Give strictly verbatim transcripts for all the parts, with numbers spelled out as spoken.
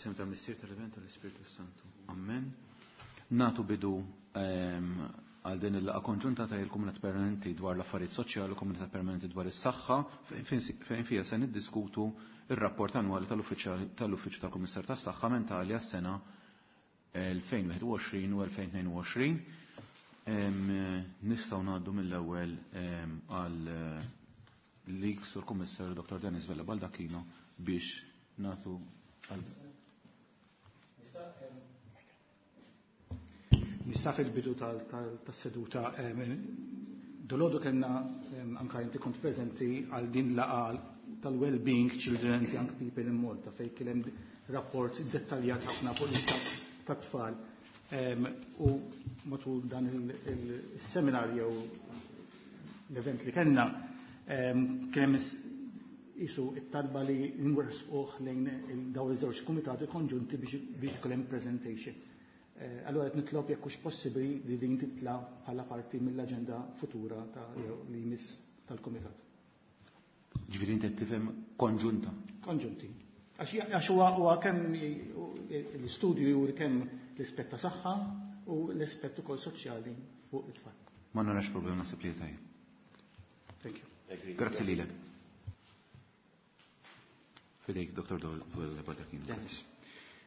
F'isem tal-Missier, tal-Iben, tal-Ispirtu Santu. Amen. Nagħtu bidu ehm, għal din il-laqgħa konġunta ta' il-Kumitat Permanenti dwar l-Affarijiet Soċjali u Kumitat Permanenti dwar is-Saħħa, fejn fija se niddiskutu ir-rapport annwali tal-Uffiċċju tal-Kummissar tas-Saħħa Mentali għas-sena elfejn u wieħed u għoxrin u elfejn u tnejn u għoxrin. Nistgħu ngħaddu mill-ewwel għal lik, Sur Kummissarju Doktor Dennis Vella Baldacchino, biex nagħtu għal Nista' fil-bidu tas-seduta, dalgħodu kellna, anka inti kont preżenti għal din laqgħa tal-Well-being Children and Young People in Malta, fejn kien hemm rapport dettaljat ħafna fuq l-istat tat-tfal. U matul dan il-seminar jew l-event li kellna kien hemm isu it-talba li nwersquh lejn dawn iż-żewġ kumitati konġunti biex ikun hemm presentation. Eh, allora qed nitlob jekk hux possibbli li din titla bħala parti mill-aġenda futura ta' li jmiss tal-kumitat. Ġifieri inti tifhem konġunta. Konġunti. Għax huwa kemm l-istudju juri kemm l-ispett ta' saħħa u l-ispett ukoll soċjali fuq it-tfal. Ma narax problema, naħseb li tajjeb. Thank you. Grazzi lilek. Fidejk, Doktor Baldacchino. Dennis.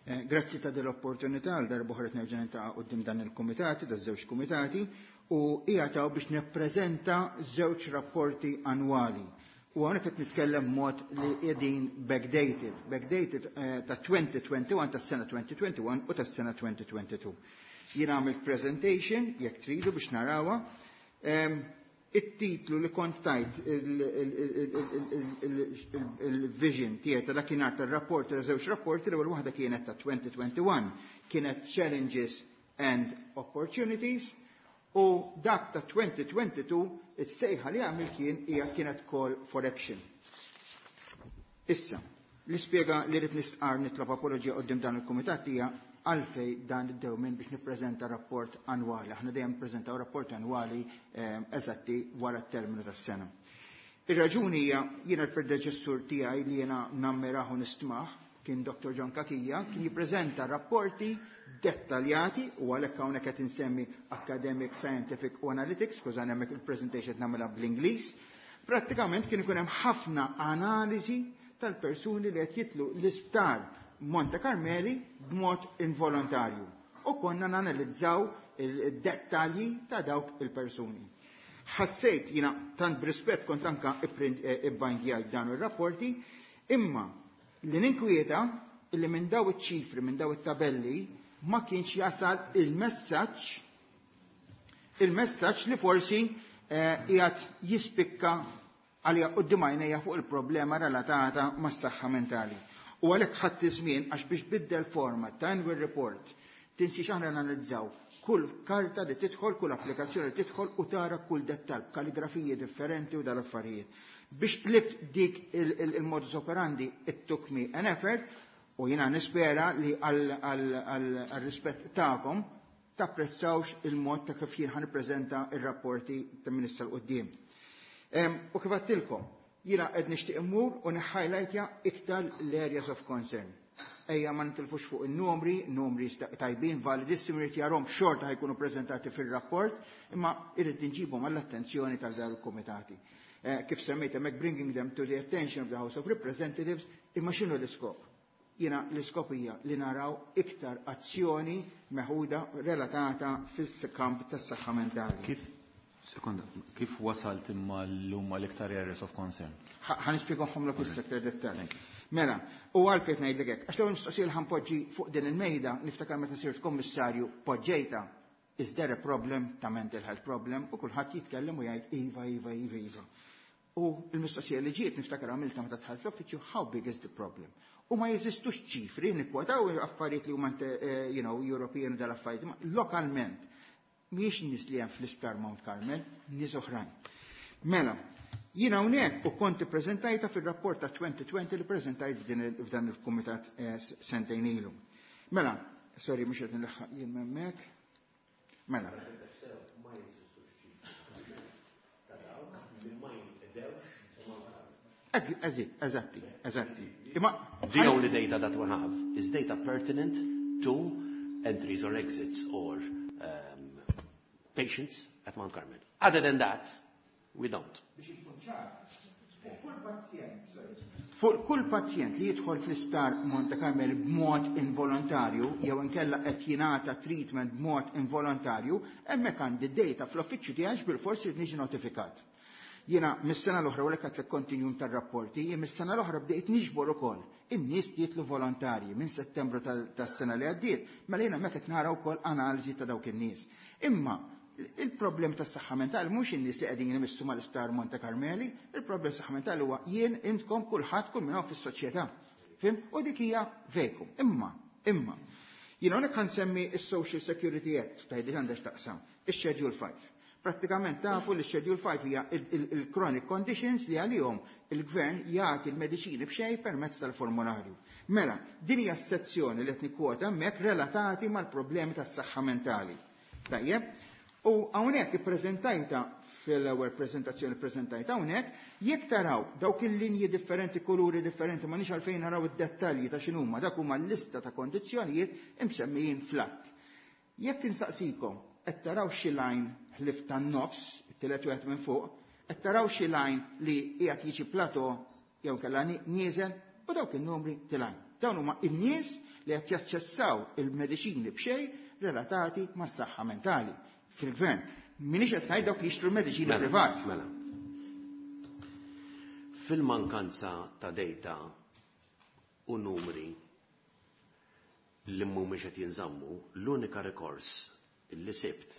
Eh, grazzi ta' dell-opportunità għal darb'oħra nerġa' niltaqa' quddiem dan il-kumitati, da' żewġ kumitati, u hija biex nippreżenta żewġ rapporti annwali. U hawnhekk qed nitkellem mod li qegħdin backdated, backdated eh, ta' elfejn u wieħed u għoxrin, tas-sena elfejn u wieħed u għoxrin u tas-sena elfejn u tnejn u għoxrin. Jien għamilt presentation, jekk tridu biex narawha. It-titlu li kont tajt il-vision tiegħi ta' dakinhar tar-rapport, ta' żewġ rapporti, l-ewwel waħda kienet ta' elfejn u wieħed u għoxrin, kienet Challenges and Opportunities, u dak ta' elfejn u tnejn u għoxrin is-sejħa li għamil kien hija kienet Call for Action. Issa, l-ispjega li rrid nistqar, nitlob apoloġija quddiem dan il-kumitat, hija għalfej dan id-dewmin biex nippreżenta rapport annwali. Aħna dejjem nippreżentaw rapport annwali eh, eżatti wara t-terminu tas-sena. Ir-raġuni hija, jiena l-predeċessur tiegħi li jiena nammirahu, nistmah, kien Doktor John Cachia, kien jippreżenta rapporti dettaljati u għalhekk hawnhekk qed insemmi academic, scientific u analytics, skużani, hemmhekk il-presentation nagħmilha bl-Ingliż. Prattikament kien ikun hemm ħafna analiżi tal-persuni li qed jidħlu l-isptar Monte Carmeli b'mod involontarju. U konna nanalizzaw il-dettalji ta' dawk il-persuni. Ħassejt jina tant b'rispett kont anka ibbindjajt dan ir-rapporti, imma li ninkwieta illi minn daw iċ-ċifri, minn daw it-tabelli, ma kienx jasal il-messaġġ il-messaġġ li forsi eh, qiegħed jispikka għalija quddiem għajnejja fuq il-problema relatata mas-saħħa mentali. U għalhekk ħadd żmien, għax biex biddel format ta' annual report, tinsiex aħna analizzaw kull karta li tidħol, kull applikazzjoni li tidħol u tara kull dettal, kaligrafiji differenti u dal-affarijiet. Biex qlibt dik il-modus operandi, it took me an effort, u jina nispera li għal-rispett tagħkom tapprezzawx il-mod ta' kif jien ħa nippreżenta il-rapporti ta' minn issa 'l quddiem. U kif għedtilkom, jiena qed nixtieq immur u niħħajlajtja iktar l-areas of concern. Ejja ma nitilfux fuq il-numri, numri tajbin, validissimi, rrid jarahom, xorta ħa jkunu preżentati fil-rapport, imma irrid nġibhom għall-attenzjoni tal kumitati. Eh, kif semmejt hemmhekk, bringing them to the attention of the House of Representatives, imma x'inhu l-iskop? Jiena l-iskop hija li naraw iktar azzjoni meħuda relatata fis-kamp tas-saħħa mentali. Kif Sekonda, kif wasalt imma l-huma l-iktar areas of concern? Ħa nispjegahomlok issa dettal. Mela, u għalfejn ngħidlek hekk, għax l-ewwel mistoqsija li ħa npoġġi fuq din il-mejda, niftakar meta sirt kommissarju poġġejta, "Is there a problem ta' mental health problem?" U kulħadd jitkellem u jgħid iva, iva, iva, iva. U l-mistoqsija li ġiet, niftakar għamilta meta dħalt l-uffiċċju, "How big is the problem?" U ma jeżistux ċifri, nikkwotaw affarijiet li huma eh, you know, European u dal-affarijiet, lokalment mhijiex nies li hemm fl-isptar Mount Carmel, nies oħrajn. Mela, jiena hawnhekk u konti preżentajta fir-rapport ta' elfejn u għoxrin li preżentajt f'dan il-kumitat eh, sentejn ilu. Mela, sorry, mhux qed nilħaq jien hemmhekk. Mela. Eżatti, eżatti. Imma The only data that we have is data pertinent to entries or exits or um, patients at Mount Carmel. Other than that, we don't. Biex ikun ċar, fuq kull pazjent, sorry, fuq kull pazjent li jidħol fl-isptar Monte Carmel b'mod involontarju jew inkella qed jingħata treatment b'mod involontarju, hemmhekk għandi data fl-uffiċċju tiegħi bilfors irid niġi notifikat. Jiena mis-sena l-oħra u għedtlek kontinjum tar-rapporti, jien mis-sena l-oħra bdejt niġbor ukoll in-nies li jitlu volontarji minn Settembru tas-sena li għaddiet, mela jiena hemmhekk qed nara wkoll analiżi ta' dawk in-nies. Imma il-problem tas-saħħa mentali mhux in-nies li qegħdin imissu mal-isptar Monte Carmeli, il-problem tas-saħħa mentali huwa jien intkom kulħadd kull min hawn fis-soċjetà. Fhimt? U dik hija vacuum. Imma, imma, jiena hawnhekk ħa nsemmi is-Social Security Act, tgħidli għandek taqsam, ix-Schedule five. Prattikament tafu li Schedule five hija il-chronic conditions li għalihom il-gvern jagħti l-mediċini b'xejn permezz tal-formularju. Mela, din hija s-sezzjoni li qed nikkwota hemmhekk relatati mal-problemi tas-saħħa mentali. Tajjeb? U hawnhekk ippreżentajta fil-ewwel preżentazzjoni preżentajta hawnhekk, jekk taraw dawk il-linji differenti, kuluri differenti, ma nix għalfejn naraw id-dettalji ta' x'inhuma, dak huma l-lista ta' kondizzjonijiet imsemmijin fl-att. Jekk insaqsikom, qed taraw xi line ħlief tan-nofs, it-tielet wieħed minn fuq, qed taraw xi line li qiegħed jiġi plateau jew kellha nieżel u dawk in-numri tilgħin. Dawn huma n-nies li qed jaċċessaw il-mediċini b'xejn relatati mas-saħħa mentali fil-gvern. Minix qed ngħid dawk li jixtru mediċini Mela, privat. Mela. Fil-mankanza ta' data u numri li mhumiex qed jinżammu, l-unika rikors li sibt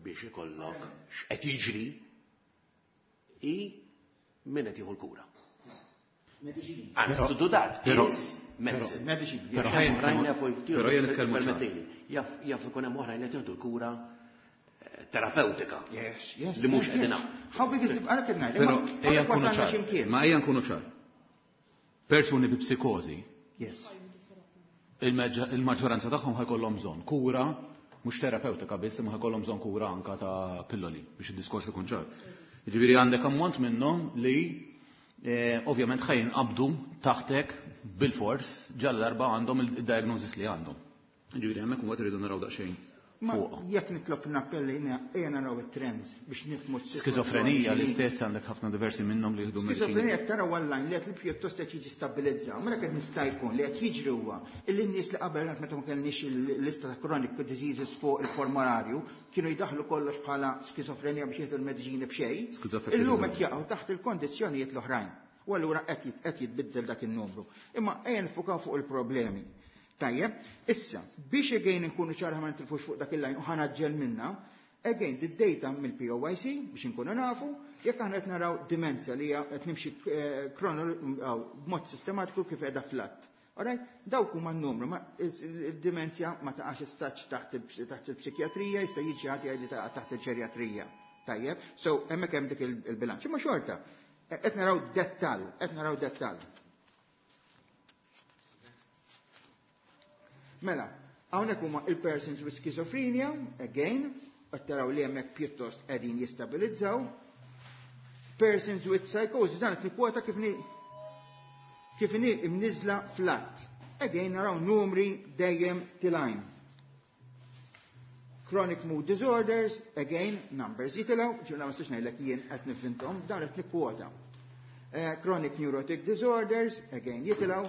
biex ikollok x'qed jiġri i min qed jieħu l-kura. Mediċini. And to do that Però- is medicine. Mediċini. Però Jaf ħajn- oħrajn jafu jtieħdu- però jien nitkellmu ċar. permettili, jaf jaf ikun hemm oħrajn li jieħdu l-kura eh, terapeutika. Yes, yes. Li mhux yes, qegħdin yes. hawn. How big is the għalhekk qed ngħid, Però imma ejja hawnhekk nkunu wasalna ċar. x'imkien. Ma ejja nkunu ċar. Persuni bi psikożi, Yes. il-maġġ- il-maġġoranza tagħhom ħa jkollhom bżonn kura mhux terapeutika biss, imma ħa jkollhom bżonn kura anka ta' pilloli biex id-diskors ikun ċar. Jiġifieri għandek ammont minnhom li eh, ovvjament ħa jinqabdu taħtek bil-fors ġal darba għandhom il-diagnosis li għandhom. Jiġifieri hemmhekk imbagħad irridu naraw daqsxejn Ma fuqha. jekk nitlob nappelli ejja naraw it-trends biex nifhmu s-sitwazzjoni. Skizofrenija l-istess għandek ħafna diversi minnhom li jieħdu mediċini. Skizofrenija tara online li qed li pjuttost qed jiġi stabilizzaw. Mela qed nista' jkun li qed jiġri huwa illi n-nies li qabel meta ma kellniex il-lista ta' chronic diseases fuq il-formularju kienu jdaħlu kollox bħala skizofrenija biex jieħdu l-mediċini b'xejn. Skizofrenija. Illum qed jaqgħu taħt il-kondizzjonijiet l-oħrajn. U allura qed jit- qed jitbiddel dak in-numru. Imma ejja nfukaw fuq il-problemi. Tajjeb, issa, biex again nkunu ċar ma nitilfux fuq dak il-line u ħa naġġel minna, again, the data mill-P O Y C biex nkunu nafu, jekk aħna qed naraw dimenzja li hija qed nimxi eh, chrono- b'mod sistematiku kif qiegħda flat. Alright? Dawk huma n-numru, ma il-dimenzja ma taqax is-saċ taħt il- taħt il-psikjatrija, jista' jiġi ħadd jgħid li taqa' taħt il-ġerjatrija. Tajjeb, so hemmhekk hemm dik il- il-bilanċ. Imma xorta, qed naraw dettall, qed naraw dettall. Mela, hawnhekk huma il-persons with schizophrenia, again, qed taraw li hemmhekk pjuttost qegħdin jistabilizzaw. Persons with psychosis, dan qed nikkwota kif ni kif ni imniżla flat. Again, naraw numri dejjem tilgħin. Chronic mood disorders, again, numbers jitilgħu, ġurna ma nistax ngħidlek jien qed nifhinthom, dan qed nikkwota. Eh, chronic neurotic disorders, again, jitilgħu.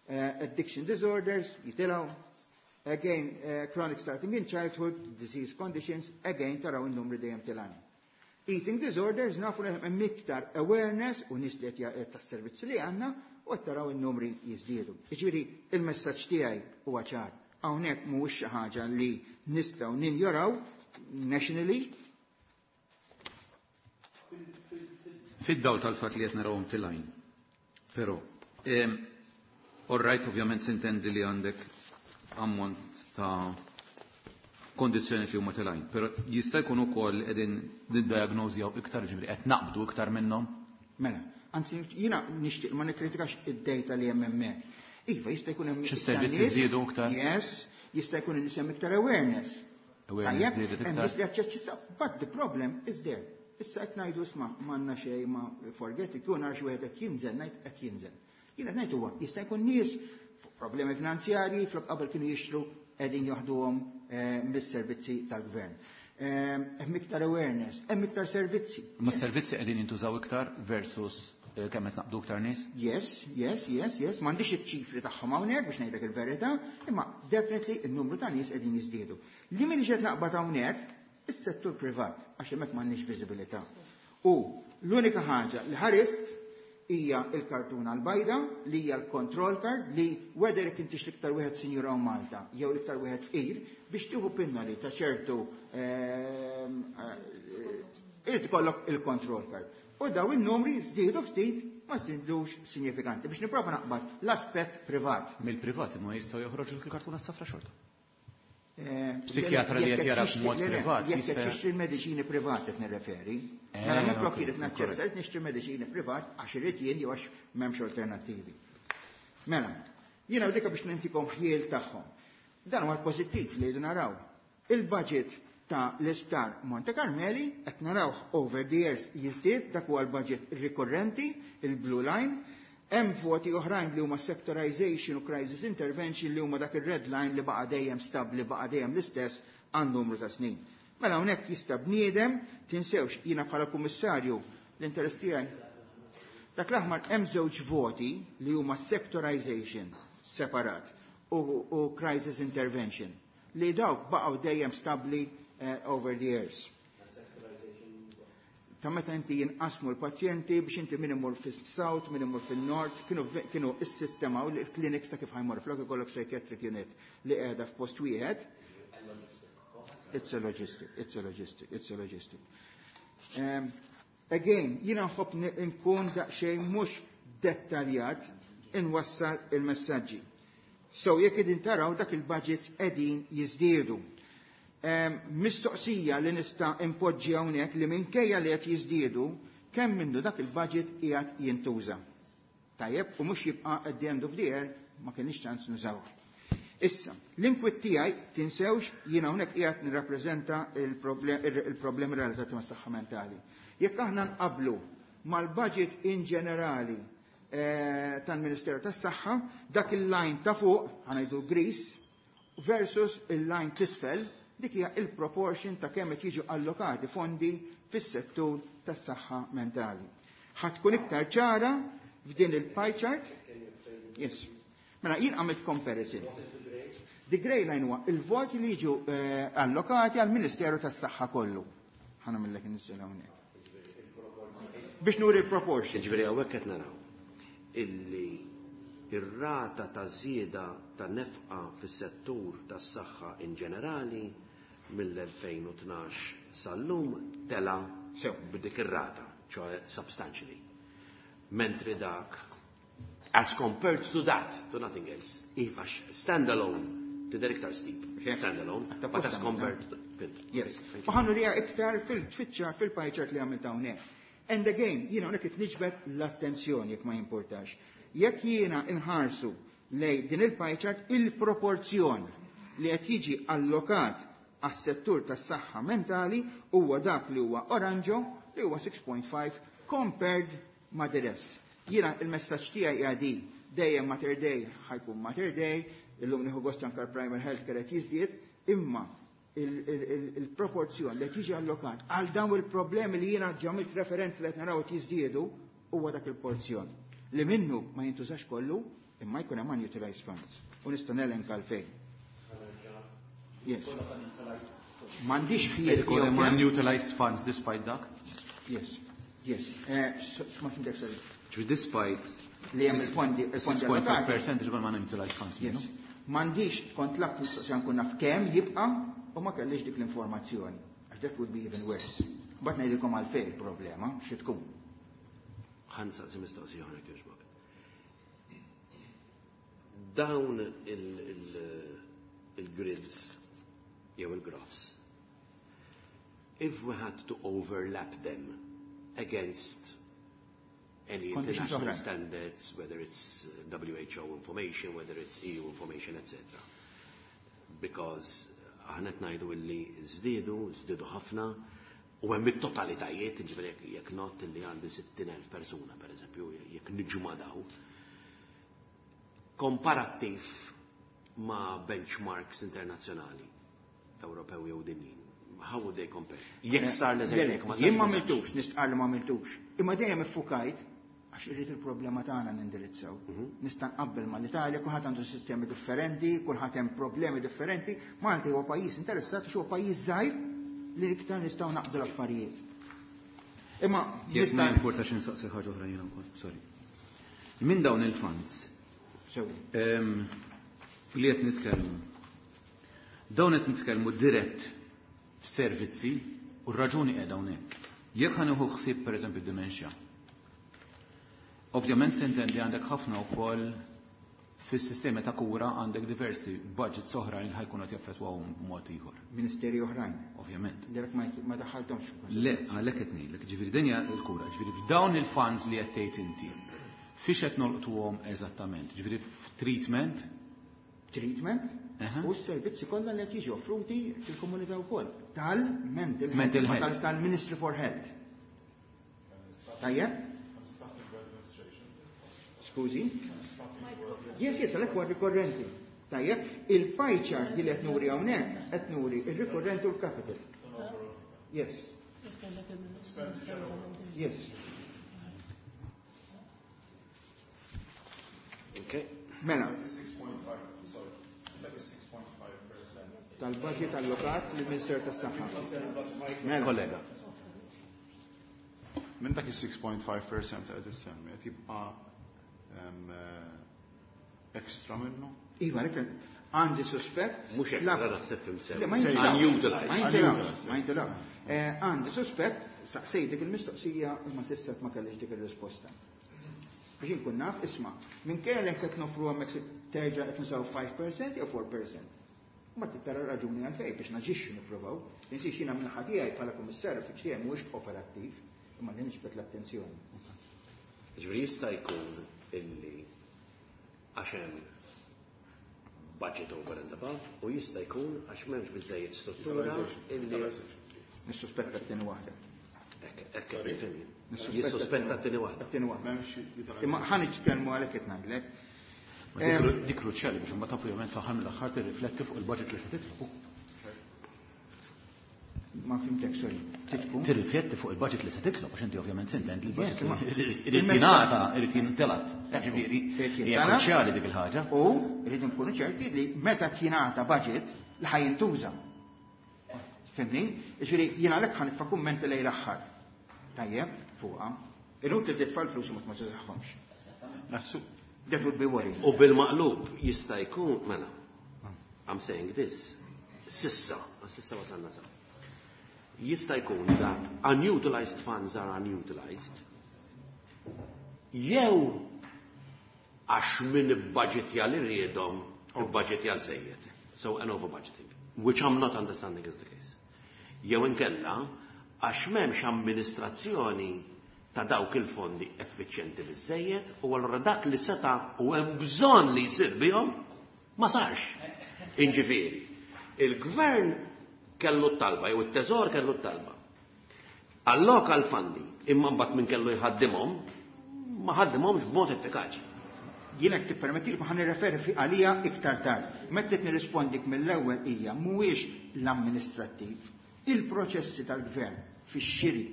Uh, addiction disorders, jitilgħu. Again, uh, chronic starting in childhood, disease conditions, again, taraw il-numri dejjem tilgħin. Eating disorders, nafu li hemm iktar awareness u nies li qed tas-servizzi li għandna u qed taraw in-numri jiżdiedu. Jiġifieri il-messaġġ tiegħi huwa ċar. Hawnhekk mhuwiex xi ħaġa li nistgħu ninjoraw nationally. Fid-dawl tal-fatt li qed narawhom tilgħin. Però, em, all right, ovvjament sintendi li għandek ammont ta' kondizzjoni li huma tilgħin, però jista' jkun ukoll qegħdin niddiagnożjaw iktar, ġifieri qed naqbdu iktar minnhom. Mela, anzi jiena nixtieq ma nikkritikax id-data li hemm hemmhekk. Iva, jista' jkun hemm Xi iktar servizzi nies. żiedu iktar? Yes, jista' jkun nies hemm iktar awareness. Awareness Tajjeb, żdiedet hemm iktar. nies li jaċċessaw, but the problem is there. Issa qed ngħidu isma' m'għandna xejn ma forget it, kieku nara xi wieħed qed jinżel, ngħid qed jinżel. Jien qed ngħid huwa jista' jkun nies fuq problemi finanzjarji flok qabel kienu jixtru qegħdin joħduhom eh, mis-servizzi tal-gvern. Eh, Hemm iktar awareness, hemm iktar servizzi. Ma s-servizzi qegħdin jintużaw iktar versus eh, kemm qed naqbdu iktar nies? Yes, yes, yes, yes. M'għandix iċ-ċifri tagħhom hawnhekk biex ngħidlek il-verità, imma definitely in-numru ta' nies qegħdin jiżdiedu. Li min qed naqbad hawnhekk is-settur privat għax hemmhekk m'għandniex viżibilità. U l-unika ħaġa li ħarist hija il-kartuna l-bajda li hija l-control card li whether jekk intix l-iktar wieħed sinjura u Malta jew l-iktar wieħed fqir biex tieħu pinnoli ta' ċertu ehm, eh, irid ikollok il-control card. U daw in-numri żdiedu ftit ma żdiedux sinifikanti biex nipprova naqbad l-aspett privat. Mill-privat ma jistgħu joħroġu l-kartuna safra xorta. Eh, Psikjatra li jekk qed jara tixtri- b'mod le, le, privat Jekk qed jista' tixtri l-mediċini privat qed nirreferi. Eh, Mela minflok ok, irid naċċessa correct. irid nixtri mediċini privat għax irid jien jew għax m'hemmx alternattivi. Mela, jiena dika biex nintikom ħjiel tagħhom. Dan huwa l-pożittiv li jridu naraw. Il-budget ta' l-isptar Monte Carmeli qed naraw over the years jiżdied dak huwa l-budget rikorrenti, il-blue line. Hemm voti oħrajn li huma sectorization u crisis intervention li huma dak ir-red line li baqa' dejjem stabbli, baqa' dejjem l-istess għal numru ta' snin. Mela hawnhekk jista' bniedem tinsewx jiena bħala kummissarju l-interess tiegħi. Dak l-aħmar hemm żewġ voti li huma sectorization separat u, u crisis intervention li dawk baqgħu dejjem stabbli eh, over the years. Ta' meta inti jinqasmu l-pazjenti biex inti min imur fis-south, min imur fil-nord, kienu, kienu is-sistema u l-clinics ta' kif ħa jmur flok ikollok psychiatric unit li qiegħda f'post wieħed. It's a logistic, it's a logistic, it's a logistic. Um, again, jiena nħobb ni- nkun daqsxejn mhux dettaljat inwassal il-messaġġi. So jekk qegħdin taraw dak il-budgets qegħdin jiżdiedu. Um, mistoqsija li nista' impoġġi hawnhekk li minkejja li qed jiżdiedu kemm minnu dak il-budget qiegħed jintuża. Tajjeb, u mhux jibqa' at the end of the year ma kienx ċans nużawh. Issa, l-inkwiet tiegħi tinsewx jiena hawnhekk qiegħed nirrappreżenta il-problemi relatati mas-saħħa mentali. Jekk aħna nqablu mal-budget in ġenerali eh, tal-Ministeru tas-Saħħa, dak il-line ta' fuq, ħa ngħidu griż, versus il-line t'isfel, dik hija il-proportion ta' kemm qed jiġu allokati fondi fis-settur tas-saħħa mentali. Ħa tkun iktar ċara f'din il-pie chart. Yes. Mela jien għamilt comparison. The grey line huwa il-voti li jiġu eh, allokati għal Ministeru tas-Saħħa kollu. Ħa nagħmillek inniżżel hawnhekk. Biex nuri il-proportion. Ġifieri hawnhekk qed naraw illi ir-rata ta' żieda ta' nefqa fis-settur tas-saħħa in ġenerali mill-elfejn u tnax sal-lum tela Sew. b'dik ir-rata, ċoè substantially. Mentri dak, as compared to that, to nothing else, iva standalone, tidher iktar steep, standalone, Ta' but as posta, compared to, good. Yes. Thank you. U ħa nuriha iktar fil-tfittxa fil-pie chart li għamilt hawnhekk. And again, jiena hawnhekk qed niġbed l-attenzjoni jekk ma jimportax. Jekk jiena inħarsu lej din il-pie chart il-proporzjon li qed jiġi allokat għas-settur tas-saħħa mentali huwa dak li huwa oranġo li huwa sitta punt ħamsa compared ma' the rest. Jiena il-messaġġ tiegħi hija di dejjem Mater Dei ħa jkun Mater Dei, illum nieħu gost anke primary health care qed jiżdied, imma il-proporzjon li tiġi allokat għal dawn il-problemi li jiena għamilt referenza li qed naraw qed jiżdiedu huwa dak il-porzjon li minnu ma jintużax kollu imma jkun hemm unutilized funds. U nista' nelenka għalfejn. Yes. M'għandix ħjiel Ikun hemm unutilized funds despite dak? Yes. Yes. Eh, Ma fhimtek, sorry. Ġifieri despite li hemm il-fondi il-fondi allokati. sitta punt ħamsa fil-mija ġibal ma unutilized funds Yes. minnu. M'għandix kont laqt mistoqsija nkun naf kemm jibqa' u ma kellix dik l-informazzjoni. Għax that would be even worse. Bat ngħidilkom għalfejn il-problema xi tkun. Ħa nsaqsi mistoqsija oħra kieġbok. Dawn il- il- il-grids jew il-graphs, if we had to overlap them against any Conditions international oħrajn. standards, whether it's uh, W H O information, whether it's E U information, et cetera. Because aħna qed ngħidu illi żdiedu, żdiedu ħafna, U hemm it-totalitajiet, ġifieri jekk jekk not li għandi sittin elf persuna, per eżempju, jekk niġma daw. Komparattiv ma' benchmarks internazzjonali, Ewropew jew dinjin. How would they compare? Jekk sar l-eżerċizzju, ma Jien ma għamiltux, nistqarr li ma għamiltux. Imma dejjem iffukajt għax irrid il-problema tagħna nindirizzaw. Nista' nqabbel mal-Italja, kulħadd għandu sistemi differenti, kulħadd hemm problemi differenti. Malta huwa pajjiż interessat għax huwa pajjiż żgħir li iktar nistgħu naqdu l-affarijiet. Imma Jekk ma nista' jimportax insaqsi ħaġa oħra jiena wkoll, sorry. Minn dawn il-funds Sew. ehm, li qed nitkellmu, dawn qed nitkellmu dirett f'servizzi u r-raġuni qiegħda hawnhekk. Jekk ħa nieħu ħsieb pereżempju dementia. Ovvjament s'intendi għandek ħafna wkoll fis-sistemi ta' kura għandek diversi budgets oħra li ħajkunu qed jaffettwawhom b'mod ieħor. Ministeri oħrajn. Ovvjament. Li ma ma daħħalthomx. Le, għalhekk qed ngħidlek, ġifieri din hija l-kura, ġifieri f'dawn il-funds li qed tgħid inti, fiex qed nolqtuhom eżattament? Ġifieri f'treatment? Treatment Aha. u s-servizzi kollha li qed jiġu offruti fil-komunità wkoll. Tal-mental health, Mental health. tal- tal-Ministry for Health. Tajjeb? Skużi? Yes, yes, għalhekk huwa rikorrenti. Tajjeb, il-pie chart li qed nuri hawnhekk qed nuri ir-rikorrenti u l-capital. Yes. Yes. Okay. Mela. Tal-budget allokat lill-Minister tas-Saħħa. Mela. Kollega. Minn dak is-six point five percent qed issemmi, qed jibqa', ehm, eh, extra minnu? Iva, għalhekk għandi suspett. Mhux extra, La- naħseb fim sew. Le, ma jintilawx. Unutilized. Ma jintilawx, ma jintilawx. Eh, għandi suspett, saqsejt dik il-mistoqsija imma s'issa ma kellix dik ir-risposta. Biex inkun naf, isma', minkejja li qed nofru hemmhekk se terġa' qed nużaw five percent jew four percent. Ma tittara raġuni għalfejn biex naġixxu nippruvaw. Tinsiex jiena minn tiegħi bħala kummissarju fi tiegħi mhuwiex operattiv, imma li niġbed l-attenzjoni. Ġifieri jista' jkun illi għax hemm budget over and above u jista' jkun għax m'hemmx biżejjed struttura illi Nissuspetta t-tieni waħda. Hekk, hekk qed nifhem. Nissuspetta Jissuspetta t-tieni waħda. T-tieni waħda. M'hemmx utilization. Imma ħa nitkellmu għalhekk qed ngħidlek. Ma dik kru-, dik kruċjali biex imbagħad ovvjament fl-aħħar mill-aħħar tirrifletti fuq il-budget li se titlob. Ma fimtek, sorry. Titkun? Tirrifletti fuq il-budget li se titlob, għax inti ovvjament s'intendi li l-budget Yes, ma- irid il-messaġġ- jingħata, irid jintelab. Ġifieri, Irid hija jintalab. kruċjali dik il-ħaġa. U rridu nkunu ċerti li meta jingħata budget li ħaj jintuża. Fimni? Ġifieri jien għalhekk ħa nitfa' kummenti lejn l-aħħar. Tajjeb, fuqha. Inutli titfa' l-flus u ma tużahomx. Nassu. That would be worrying. U bil-maqlub jista' jkun, mela, I'm saying this, sissa, sissa wasalna sa. Jista' jkun that unutilized funds are unutilized, jew għax min ibbaġitja li rridhom, ibbaġitja żejjed. So an over budgeting, which I'm not understanding is the case. Jew inkella għax m'hemmx amministrazzjoni ta' dawk il-fondi effiċjenti biżejjed u allura dak li seta' u hemm bżonn li jsir bihom ma sarx. Inġifieri, il-gvern kellu t-talba jew it-teżor kellu t-talba. Alloka l-fondi imma mbagħad min kellu jħaddimhom ma ħaddimhomx b'mod effikaċi. Jien hekk tippermetti li ħa nirreferi fi għalija iktar tard. Meta qed nirrispondik mill-ewwel hija mhuwiex l-amministrattiv, il-proċessi tal-gvern fix-xiri,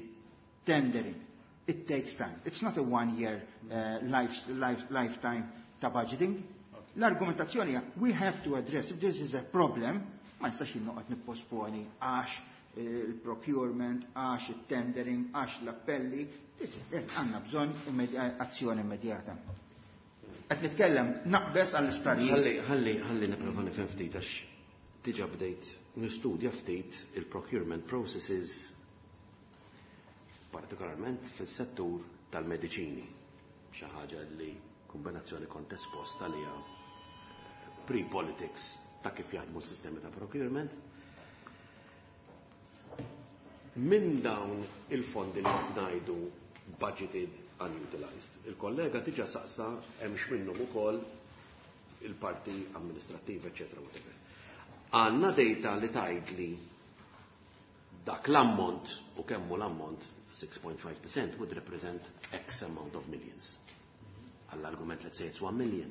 tendering, it takes time. It's not a one-year, uh, life, life, lifetime ta' budgeting. L-argumentazzjoni hija we have to address if this is a problem, ma nistax jien noqgħod nipposponi għax il-procurement, għax il-tendering, għax l-appelli, this is it. Għandna bżonn immedi-, azzjoni immedjata. Qed nitkellem naqbes għall-isptarijiet. Ħalli, ħalli, ħalli nipprova nifhem ftit għax diġà bdejt nistudja ftit il-procurement processes partikolarment fis-settur tal-mediċini. Xi ħaġa li kombinazzjoni kont esposta li hija pre-politics ta' kif jaħdmu s-sistemi ta' procurement. Minn dawn il-fondi li qed ngħidu budgeted unutilized, il-kollega diġà saqsa hemmx minnhom ukoll il-parti amministrattiva, eccetera, whatever. Għandna data li tgħidli Dak l-ammont u kemmu l-ammont six point five percent would represent X amount of millions. Għall-argument, let's say it's one million.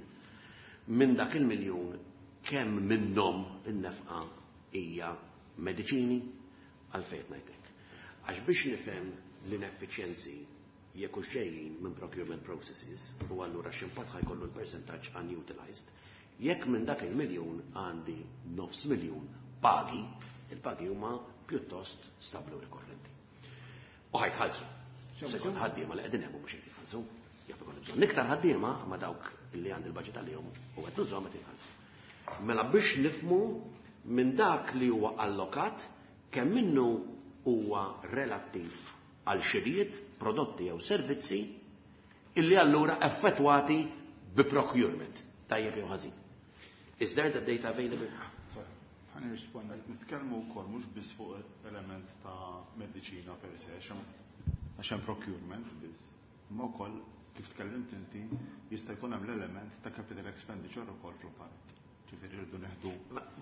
Minn dak il-miljun, kemm minnhom in-nefqa hija mediċini? Għalfejn ngħidlek. Għax biex nifhem l-ineffiċjenzi jekk hux ġejjin minn procurement processes u allura x'impatt ħajkollu l-percentaġġ unutilized, jekk minn dak il-miljun għandi nofs miljun pagi, il-pagi huma pjuttost stabli u rikorrenti. U ħajtħallsu. Se jkun ħaddiema li qegħdin hemm mhux qed jitħallsu. Jaf ikun bżonn iktar ħaddiema ma dawk li għandi l-budget għalihom u qed nużhom qed jitħallsu. Mela biex nifhmu minn dak li huwa allokat kemm minnu huwa relattiv għal xirijiet, prodotti jew servizzi illi allura effettwati bi procurement, tajjeb jew ħażin. Is there the data available? Ħa nirrispondi. Nitkellmu wkoll mhux biss fuq element ta' mediċina per se, għax hemm procurement biss, imma wkoll kif tkellimt inti jista' jkun hemm l-element ta' capital expenditure ukoll fl-apparat. Ġifieri rridu neħdu.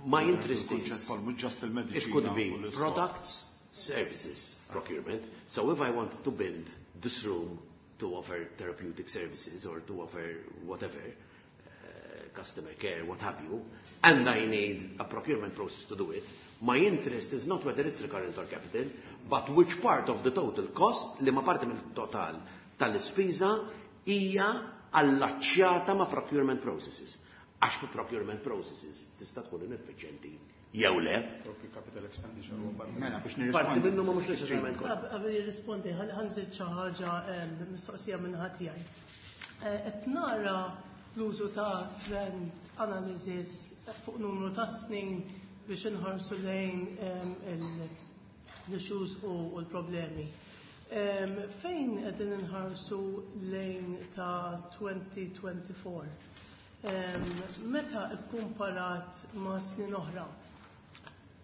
My interest is mhux just il-mediċina. It could be products, services, procurement. So if I wanted to build this room to offer therapeutic services or to offer whatever, uh, customer care, what have you, and I need a procurement process to do it, my interest is not whether it's recurrent or capital, but which part of the total cost, li ma parti mill-total tal-ispiża, hija allaċċjata ma' procurement processes. Għax fi procurement processes tista' tkun ineffiċjenti jew le. Capital expenditure huwa parti. Mela biex Parti nirrispondi. minnu ma mhux neċessarjament kollha. Qabel jirrispondi, ħa nżid xi ħaġa mistoqsija minn ħadd tiegħi. Qed nara l-użu ta' trend analysis fuq numru ta' snin biex inħarsu lejn l-issues u l-problemi. Fejn qegħdin inħarsu lejn ta' twenty twenty-four? Meta kkumparat ma' snin oħra,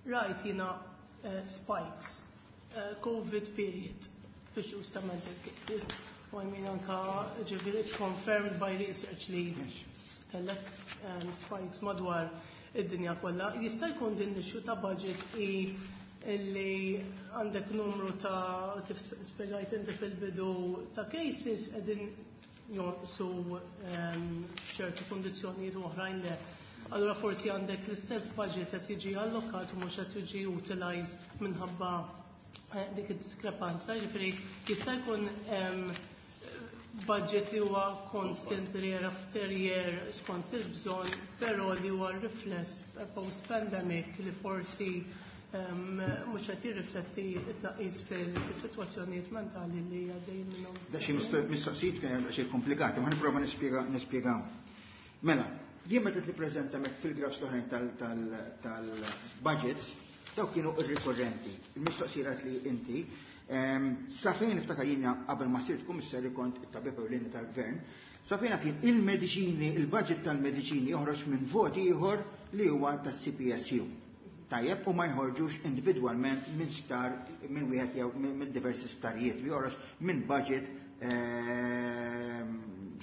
rajt jiena spikes, COVID period, f'issues ta' mental cases. U I mean anka ġifieri it's confirmed by research li kellek spikes madwar id-dinja kollha. Jista' jkun din l-issue ta' budget i illi għandek numru ta' kif spjegajt inti fil-bidu ta' cases qegħdin jonqsu ċertu kundizzjonijiet u oħrajn le. Allura forsi għandek l-istess budget qed jiġi allokat u mhux qed jiġi utilized minħabba dik id-diskrepanza. Ġifieri jista' jkun budget li huwa constant year after year skont il-bżonn, però li huwa rifless post-pandemic li forsi mhux qed jirrifletti t-tnaqqis fis-sitwazzjonijiet mentali li għaddejjin minnhom. Da xi mistoqsijiet kien xi komplikati, ma nipprova nispjega nispjega. Mela, jien meta tippreżenta mek fil-graphs l-oħrajn tal-budgets, dawk kienu ir-rikorrenti. Il-mistoqsijiet li inti, sa fejn niftakar jiena qabel ma sirt kummissarju kont it-tabib ewlieni tal-gvern, sa fejn kien il-mediċini, il-budget tal-mediċini joħroġ minn vot ieħor li huwa tas-C P S U. Tajjeb, u ma jħorġux individwalment minn sptar, minn wieħed jew minn diversi sptarijiet, li joħroġ minn budget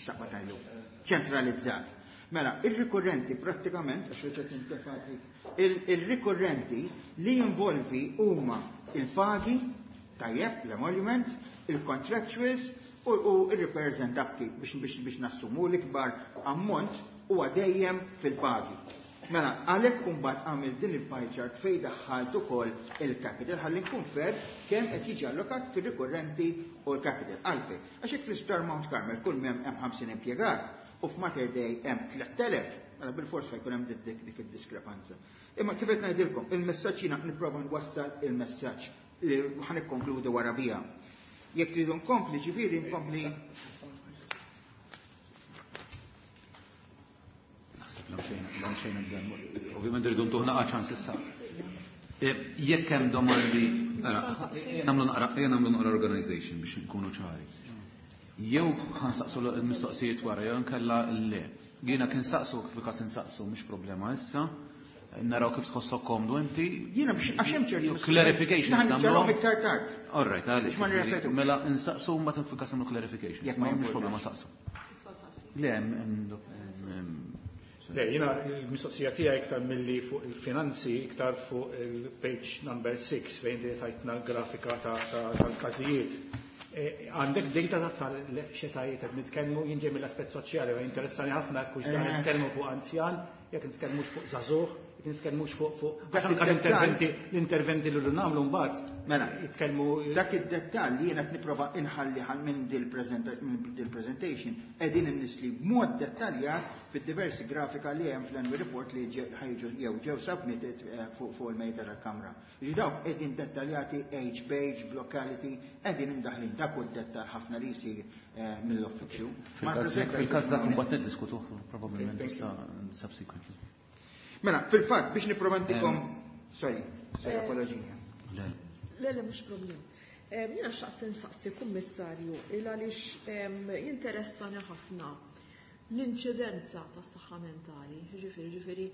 x'taqbad tajlu, ċentralizzat. Mela, il-rikorrenti prattikament, għax reġgħet intefati, il-rikorrenti li jinvolvi huma il-pagi, tajjeb, l-emoluments, il-contractuals u, u il-repairs and upkeep biex, biex, biex nassumu l-ikbar ammont huwa dejjem fil-pagi. Mela, għalhekk imbagħad għamil din il-pie chart fejn daħħalt ukoll il-capital ħalli nkun fair kemm qed jiġi allokat fir-rikorrenti u l-capital. Għalfejn, għax hekk fl-Isptar Mount Carmel kull m'hemm hemm ħamsin impjegat u f'Mater Dei hemm tliet elef, mela bil-fors jkun hemm dik, dik id-diskrepanza. Imma kif qed ngħidilkom, il-messaġġ jiena nipprova nwassal il-messaġġ li ħa nikkonkludi wara biha. Jekk tridu nkompli, ġifieri nkompli. Ovvjament rridu ntuħna ċans issa. Jekk hemm domandi, nagħmlu naqra, ejja nagħmlu naqra organization biex nkunu ċari. Jew ħansaqsu l-mistoqsijiet wara, jew nkella le. Jiena kien saqsu kif każ insaqsu, mhux problema issa. Naraw kif tħossok komdu inti. Jiena biex għax hemm ċertu Jew clarifications Naħan nagħmlu. niċċarahom iktar tard. All right, għaliex. Biex ma nirrepetu. Mela insaqsu mbagħad kif każ nagħmlu clarifications. Jekk ma Ma mhux jimportax. problema saqsu. Le, hemm, hemm, hemm, Le, jiena l-mistoqsija tiegħi iktar milli fuq il-finanzi, iktar fuq il-page number six fejn inti tajtna l-grafika tal-każijiet. Għandek data tal-xetajiet qed nitkellmu, jien ġej mill-aspett soċjali, u interessani ħafna jekk hux dan nitkellmu fuq anzjan, jekk nitkellmux fuq żagħżugħ, jekk nitkellmux fuq fuq għax anke l-interventi l-interventi li nagħmlu mbagħad Mela, jitkellmu. Dak id-dettall li jiena qed nipprova inħalli ħal minn dil-presentation qegħdin innisli b'mod dettaljat fid-diversi grafika li hemm fl-annual report li ħa jiġu jew ġew submitted fuq fuq il-mejda tal-Kamra. Ġi dawk qegħdin dettaljati age page, locality, qegħdin imdaħlin dak hu d-dettall ħafna li jsir mill-uffiċċju. Fil-każ dak imbagħad niddiskutuh probabbilment subsequently. Mela, fil-fatt biex nipprova ntikom, sorry, sorry, apoloġija. Le, Le, le, mhux problem. Jiena xtaqt insaqsi, Kummissarju, il għaliex jinteressani ħafna l-inċidenza tas saħħa mentali. Ġifieri, ġifieri,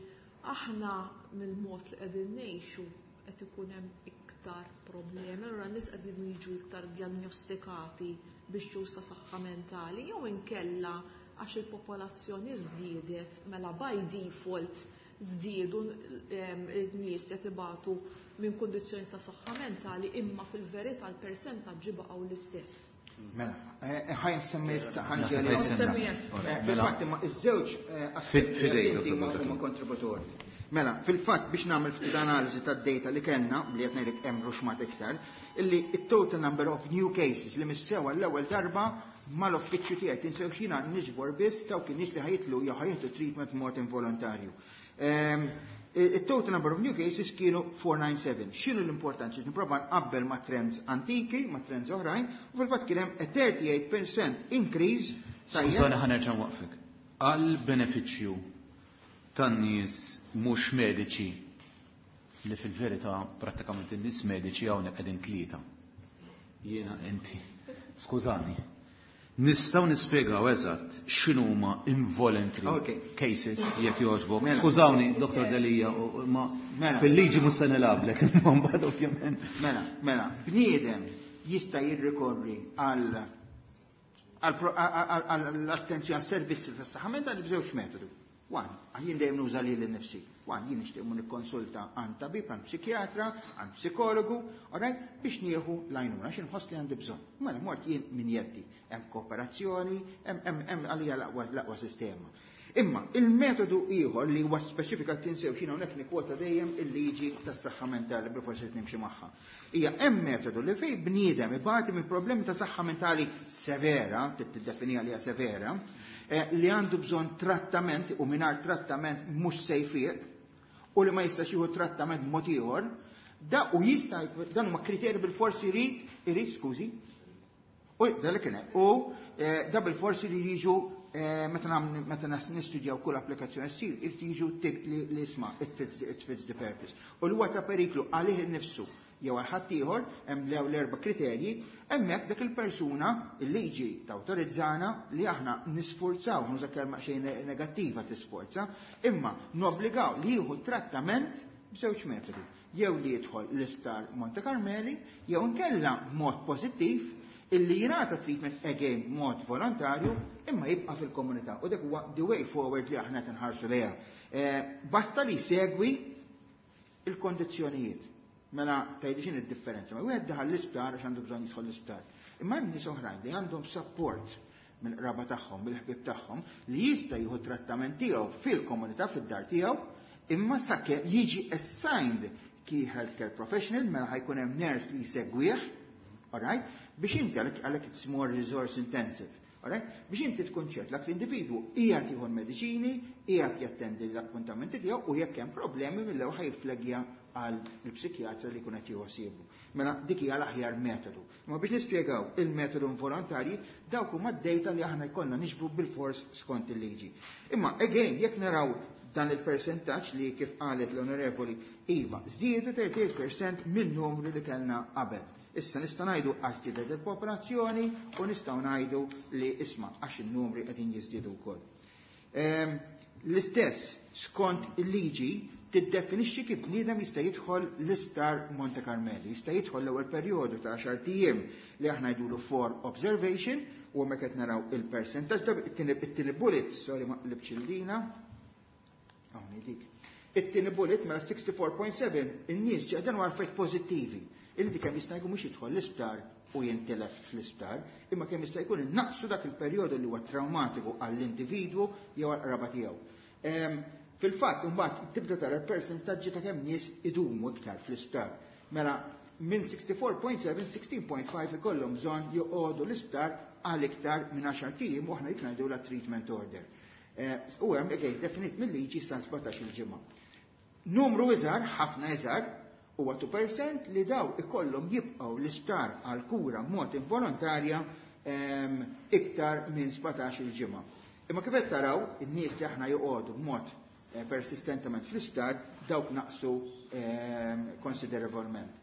aħna mill-mod li qegħdin ngħixu qed ikun hemm iktar problemi, allura n-nies qegħdin jiġu iktar diagnostikati biex ta' saħħa mentali, jew inkella għax il-popolazzjoni żdiedet, mela by default żdiedu n-nies li qed ibatu minn kundizzjoni ta' saħħa mentali, imma fil-verità l-persentaġġi baqgħu l-istess? Mela, ħa nsemmi issa, ħa nġeli. Fil-fatt imma iż-żewġ aspetti huma kontributori. Mela, fil-fatt biex nagħmel ftit analiżi tad-data li kellna, li qed ngħidlek hemm ruxmat iktar, illi it-total number of new cases li missew għall-ewwel darba mal-uffiċċju tiegħi, tinsew xina niġbor biss dawk in-nies li ħa jidħlu jew ħa jieħdu treatment mod involontarju. Il-total number of new cases kienu four hundred ninety-seven. X'inhu l-importanti? Nipprova nqabbel ma' trends antiki, ma' trends oħrajn, u fil-fatt kien hemm a thirty-eight percent increase. Skużani, ħa nerġa' waqfek. Għal benefiċċju tan-nies mhux mediċi, li fil-verità prattikament in-nies mediċi hawnhekk qegħdin tlieta. Jiena, inti. Skużani. Nistgħu nispjegaw eżatt x'inhuma involuntary Okay. cases, jekk jogħġbok? Mela. Skużawni, Doktor Delia, u- ma Mela. fil-liġi mhux se nilgħablek, imma mbagħad ovvjament. Mela, mela, bniedem jista' jirrikorri għal għall-attenzjoni għas-servizzi tas-saħħa mentali b'żewġ metodu. One, jien dejjem nuża lili nnifsi. One, jien nixtieq mmur nikkonsulta għand tabib, għand psikjatra, għand psikologu, alright, biex nieħu l-għajnuna, għax inħoss li għandi bżonn. Mela mort jien minn jeddi. Hemm kooperazzjoni, hemm hemm għalija l-aqwa l-aqwa sistema. Imma il-metodu ieħor li huwa speċifika, tinsew xina hawnhekk nikkwota dejjem il-liġi tas-saħħa mentali, bil forsi nimxi magħha. Hija hemm metodu li fejn bniedem ibati minn problemi ta' saħħa mentali severa, tiddefinija li hija severa, eh, li għandu bżonn trattament u mingħajr trattament mhux se jfiq u li ma jistax jieħu trattament mod ieħor, da u jista' dan huma kriterji bil-forsi jrid irid skużi. U da li kien u eh, da bil-forsi li jiġu eh, meta nagħmlu meta nas nistudjaw kull applikazzjoni ssir, irid jiġu tik li li isma' it fits it fits the purpose. U li huwa ta' periklu għalih innifsu jew għal ħadd ieħor, hemm lew l-erba' kriterji, hemmhekk dak il-persuna il-liġi tawtorizzana li aħna nisforzaw, nuża kelma xejn negattiva tisforza, imma nobbligaw li jieħu trattament b'żewġ metodi. Jew li jidħol l-isptar Monte Carmeli, jew inkella mod pożittiv illi jingħata treatment again mod volontarju imma jibqa' fil-komunità. U dak huwa the way forward li aħna qed inħarsu lejha. Eh, basta li segwi il-kondizzjonijiet. Mela tgħidli x'in id-differenza. Ma wieħed daħal l-isptar għax għandu bżonn jidħol l-isptar. Imma hemm nies oħrajn li għandhom support mill-qraba tagħhom, mill-ħbieb tagħhom, li jista' jieħu trattament tiegħu fil-komunità, fid-dar tiegħu, imma sakemm jiġi assigned key healthcare professional, mela ħa jkun hemm nurse li jsegwih, alright? Biex inti għalhekk għalhekk it's more resource intensive. Alright? Biex inti tkun ċert dak l-individwu qiegħed jieħu l-mediċini, qiegħed jattendi l-appuntamenti tiegħu u jekk hemm problemi mill-ewwel ħa jifflagja għal il-psikjatra li jkun qed jieħu ħsiebu. Mela dik hija l-aħjar metodu. Imma biex nispjegaw il-metodu involontarji, dawk huma d-data li aħna jkollna niġbru bil-fors skont il-liġi. Imma again, jekk naraw dan il-percentaġġ li kif qalet l-Onorevoli Iva, żdiedu tlieta u tletin fil-mija minn numru li kellna qabel. Issa nista' ngħidu għax żdiedet il-popolazzjoni u nistgħu ngħidu li isma' għax in-numri qegħdin jiżdiedu wkoll. Ehm, L-istess skont il-liġi tiddefinixxi kif bniedem jista' jidħol l-isptar Monte Carmeli. Jista' jidħol l-ewwel perjodu ta' għaxar ijiem li aħna ngħidulu for observation, u hemmhekk qed naraw il-percentaġġ. It-tieni bullet, sorry, ma qlibx il-lina. Hawn dik. It-tieni bullet mela sixty-four point seven in-nies ġew dan affarijiet pożittivi. Illi kemm jista' jkun mhux jidħol l-isptar u jintilef fl-isptar, imma kemm jista' jkun innaqsu dak il-perjodu li huwa traumatiku għall-individwu jew għall-qraba tiegħu. Fil-fatt, imbagħad tibda tara l-persentaġġi ta' kemm nies idumu iktar fl-isptar. Mela minn sixty-four point seven, sixteen point five ikollhom bżonn joqogħdu l-isptar għal iktar minn għaxart ijiem u aħna dik ngħidu la treatment order. Eh, u hemm again definit mill-liġi sa sbatax-il ġimgħa. Numru iżgħar, ħafna iżgħar, huwa two percent li daw ikollhom jibqgħu l-isptar għal kura mod involontarja ehm, iktar minn sbatax-il ġimgħa. Imma kif qed taraw, in-nies li aħna joqogħdu b'mod eh, persistentement fl-isptar dawk naqsu ehm, konsiderevolment.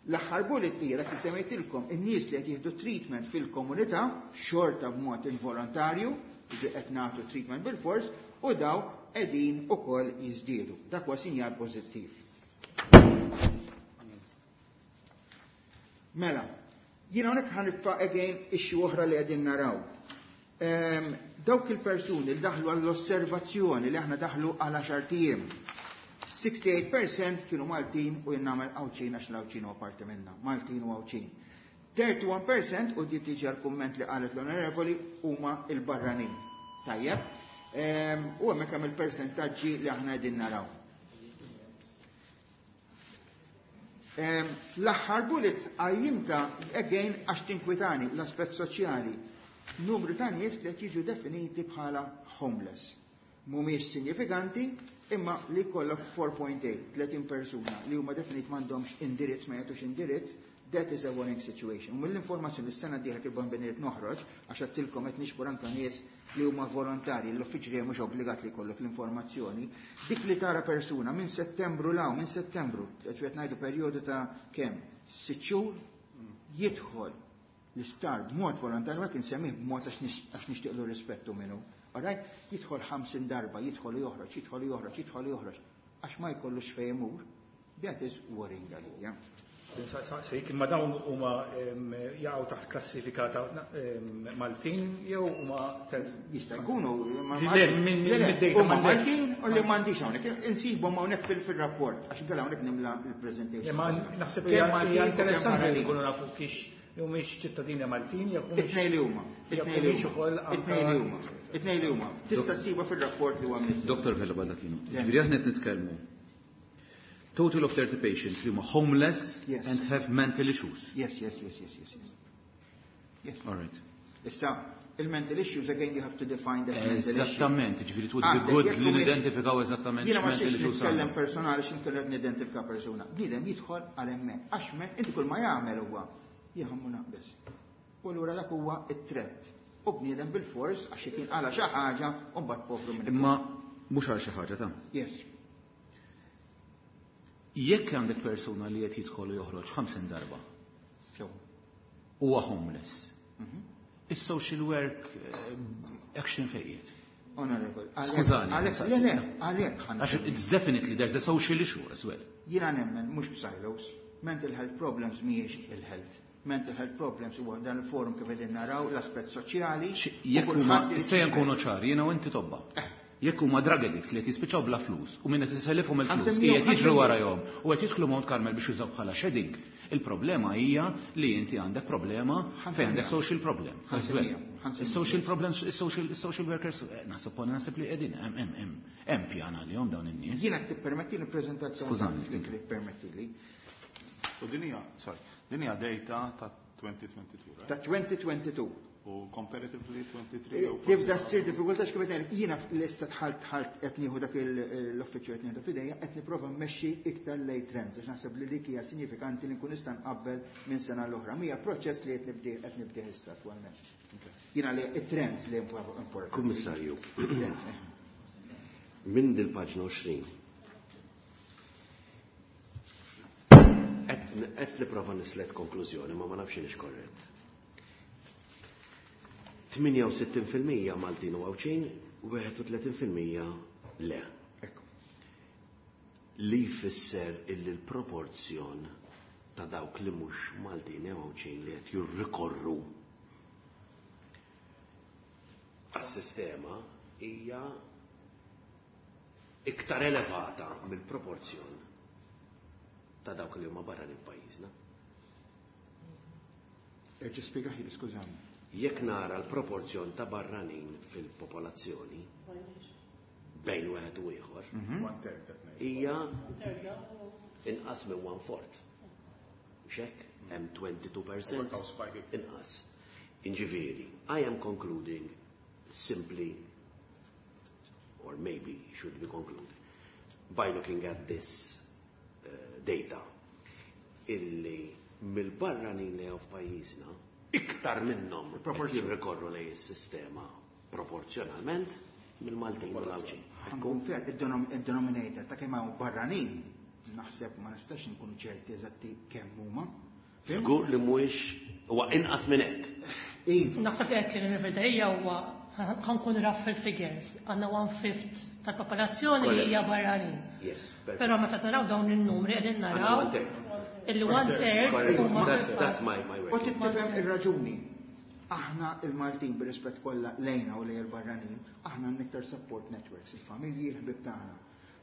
L-aħħar bullet hija dak li semmejtilkom, in-nies li qed jieħdu treatment fil-komunità xorta b'mod involontarju, jiġi qed nagħtu treatment bil-fors, u daw qegħdin ukoll jiżdiedu. Dak huwa sinjal pożittiv. Mela, jiena hawnhekk ħa nitfa' again issue oħra li qegħdin naraw. Ehm, dawk il-persuni li daħlu għall-osservazzjoni li aħna daħlu għal għaxart ijiem. sixty-eight percent kienu Maltin u jien nagħmel Għawdxin għax l-Għawdxin huwa parti minna, Maltin u Għawdxin. thirty-one percent, u di tiġi għal-kumment li qalet l-onorevoli, huma il-barranin. Tajjeb. Ehm, u hemmhekk hemm il-persentaġġi li aħna qegħdin naraw. Ehm, l-aħħar bullet għajjimta again għax tinkwitani l-aspett soċjali. Numru ta' nies li qed jiġu definiti bħala homeless. Mhumiex sinifikanti, imma li kollok four point eight, tletin persuna li huma definit m'għandhomx indirizz, ma jagħtux indirizz, that is a worrying situation. U mill-informazzjoni li s-sena d-dieħla kif bambiniet noħroġ, għax għedtilkom qed nixbor anka nies li huma volontari, l-uffiċċju li mhux obbligat li jkollok l-informazzjoni, dik li tara persuna minn Settembru law, minn Settembru, qed ngħidu perjodu ta' kemm? Sitt xhur jidħol l-isptar b'mod volontarju, għak insemmih b'mod għax nixtieqlu rispettu minnu. Alright? Jidħol ħamsin darba, jidħol u joħroġ, jidħol u joħroġ, jidħol u joħroġ. Għax ma jkollux fejn imur, that is worrying għalija. Saqsik, imma dawn huma jaqgħu taħt klassifika ta' Maltin jew huma Jista' jkunu huma Maltin u li m'għandix hawnhekk. Insibhom hawnhekk fil-rapport għax inkella hawnhekk nimla l-presentation. Ma naħseb hija interessanti li nkunu nafu kiex jew mhix ċittadini Maltin jew It-tnejn li huma. It-tnejn li huma. It-tnejn li huma. It-tnejn li huma. Tista' ssibha fir-rapport li huwa mniżżel. Doktor Vella Baldacchino, ġifieri aħna qed nitkellmu total of thirty patients li huma homeless Yes. and have mental issues. Yes, yes, yes, yes, yes, yes. Yes. All right. Issa, il-mental issues, again, you have to define that mental issue. Eżattament, ġifieri it would be good li nidentifikaw eżattament Jiena ma x'mental xiex issues nitkellem għandhom. personali x'in qed nidentifika persuna. Bniedem jidħol għal hemmhekk. Għax me inti kull ma jagħmel huwa jħammu naqbes. U allura dak huwa it-threat. U bniedem bil-fors għax kien qala xi ħaġa u mbagħad povru minn. Imma mhux għal xi ħaġa ta' Yes. Jekk għandek persuna li qed jidħol u joħroġ ħamsin darba Sew. huwa homeless. Is-social work eh, action fejjiet. Honorable. Skużani, Għalhekk, le, le, għalhekk ħa Għax it's definitely there's a social issue as well. Jiena nemmen mhux b'silos. Mental health problems mhijiex il-health. Mental health problems huwa dan il-forum kif qegħdin naraw l-aspett soċjali. Jekk u huma kulħadd se nkunu ċari, jiena u inti tobba. Jekk huma drug addicts li qed jispiċċaw bla flus u min qed iselifhom il-flus Ħansemmihom, qiegħed jiġru ħansemmihom. warahom u qed jidħlu Mount Carmel biex jużaw bħala shedding, il-problema hija li inti għandek problema fejn għandek social problem as well. Ħansemmihom, ħansemmihom. Is-social problems, is-social is-social workers, eh, naħseb naħseb li qegħdin hemm hemm hemm hemm pjan għalihom dawn in-nies. Jiena tippermetti li prezentazzjoni. Skużani, Dik li permettili. U din hija, sorry, din hija data ta' twenty twenty-two, right? Ta' twenty twenty-two. U comparatively twenty-three u Tibda ssir diffikultà x'kif qed ngħidlek, jiena issa dħalt dħalt qed nieħu dak il- l-uffiċċju qed nieħdu f'idejja, qed nipprova mmexxi iktar lej trends għax naħseb li dik hija sinifikanti li nkun nista' nqabbel minn sena l-oħra. Mija proċess li qed nibdi qed nibdih issa attwalment. Jiena li it-trends li importanti. Kummissarju, Trends, eh. minn dil-paġna għoxrin. Qed nipprova nislet konklużjoni, ma ma nafx inix korrett. tmienja u sittin fil-mija Maltin u Għawdxin, wieħed u tletin fil-mija le. Ekku. Li jfisser illi l-proporzjon ta' dawk li mhux Maltin jew Għawdxin li qed jirrikorru għas-sistema hija iktar elevata mill-proporzjon ta' dawk li huma barranin f'pajjiżna. Erġa' spjegahieli, skużani. Jekk nara l-proporzjon ta' barranin fil-popolazzjoni bejn wieħed u ieħor, One third qed ngħid. hija inqas minn one fourth. Mhux hekk? Hemm twenty-two percent Hawn spike. Inqas. Inġifieri, I am concluding simply, or maybe should be concluded, by looking at this uh, data, illi mill-barranin li hawn f'pajjiżna, iktar minnhom qed jirrikorru lejn is-sistema proporzjonalment mill-Maltin u l-Għawdxin. Nkun fair, id-denominator ta' kemm hawn barranin, naħseb ma nistax nkunu ċerti eżatti kemm huma. Żgur li mhuwiex huwa inqas minn hekk. Iva, Naħseb li qed li nirreferi huwa ħa nkun rough fil-figures. Għandna one fifth tal-popolazzjoni li hija barranin. Yes, perfect. Però meta taraw dawn in-numri qegħdin naraw Għandna one third. illi one third Correct. huma That's, that's my, my U working. tifhem ir-raġuni. Aħna il-Maltin, bir-rispett kollha lejna u lejn il-barranin, aħna għandna iktar support networks, il-familji, il-ħbib tagħna.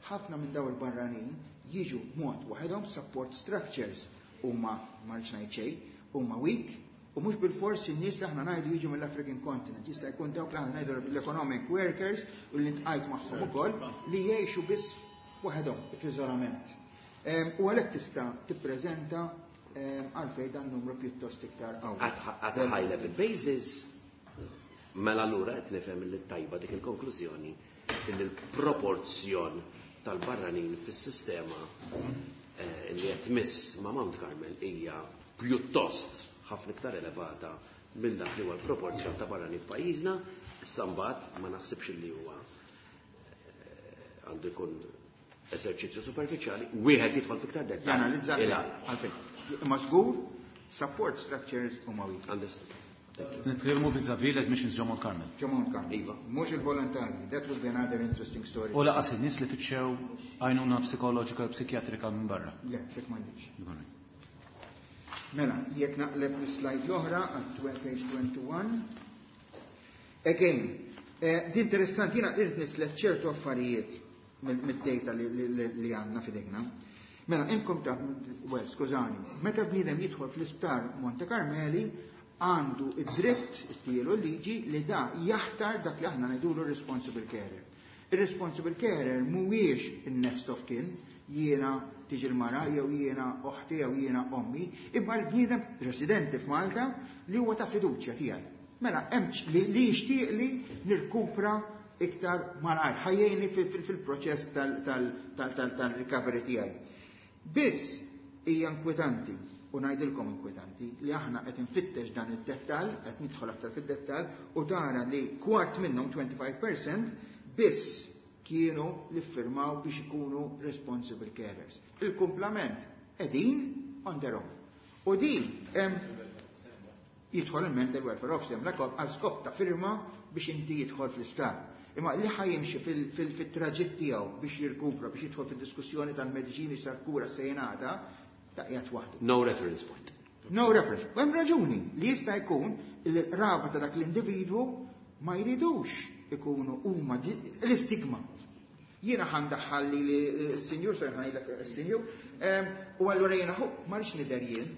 Ħafna minn daw il-barranin jiġu mod waħedhom, support structures huma, ma rridx ngħid xejn, huma weak, u mhux bil-fors in-nies li aħna ngħidu jiġu mill-African continent, jista' jkun dawk li aħna ngħidu l-economic workers u li ntqajt magħhom ukoll li jgħixu biss waħedhom f'iżolament. Em, U għalhekk tista' tippreżenta em, għalfejn dan numru pjuttost iktar qawwi. At, at a high level basis, mela allura qed nifhem li tajba dik il-konklużjoni illi l-proporzjon tal-barranin fis-sistema eh, li qed tmiss ma' Mount Carmel hija pjuttost ħafna iktar elevata minn dak li huwa l-proporzjon ta' barranin f'pajjiżna. Issa mbagħad ma naħsibx li huwa eh, għandu jkun eżerċizzju superfiċjali, wieħed jidħol fiktar dettall. Janalizza Il-għala. għalfejn. Imma żgur support structures huma weak. Understood. Thank you. Nitkellmu vis-a-vis l-admissions ġo Mount Carmel. Ġo Mount Carmel. Iva. Mhux il-volontarji. That would be another interesting story. U lanqas in-nies li fittxew għajnuna psikoloġika u psikjatrika minn barra. Le, dik m'għandix. Mela, jekk naqleb l-slide l-oħra għal page twenty-one. Again, eh, di interessanti, jiena irrid nislet ċertu affarijiet mid-data li, li, li għandna f'idejna. Mela, inkom ta' well, skużani, meta bniedem jidħol fl-isptar Monte Carmeli, għandu id-dritt, istielu liġi, li da jaħtar dak li aħna ngħidulu responsible carer. Il-responsible carer mhuwiex il-next of kin, jiena tiġi l-mara, jew jiena oħti, jew jiena ommi, imma l-bniedem residenti f'Malta li huwa ta' fiduċja tiegħi. Mela, hemm li, li jixtieq li nirkupra iktar malajr, ħa jgħinni fil-proċess tal-recovery tiegħi. Biss hija inkwetanti, u ngħidilkom inkwetanti, li aħna qed infittex dan id-dettall, qed nidħol aktar fid-dettall, u tara li kwart minnhom, twenty-five percent, biss kienu li firmaw biex ikunu responsible carers. Il-kumplament qegħdin on their own. U din hemm jidħol il-mental welfare officer għal skop ta' firma biex inti jidħol fl-isptar. Imma li ħa jimxi fil-traġitt tiegħu biex jirkupra, biex jidħol fid-diskussjoni tal-mediċini sal-kura se jingħata, ta' qiegħed waħdu. No reference point. No reference. U hemm raġuni li jista' jkun il-raba ta' dak l-individwu ma jridux ikunu huma l-istigma. Jiena ħa ndaħħal li s-sinjur, sorry, ħa ngħidlek s-sinjur, u allura jiena hu ma rridx nidher jien.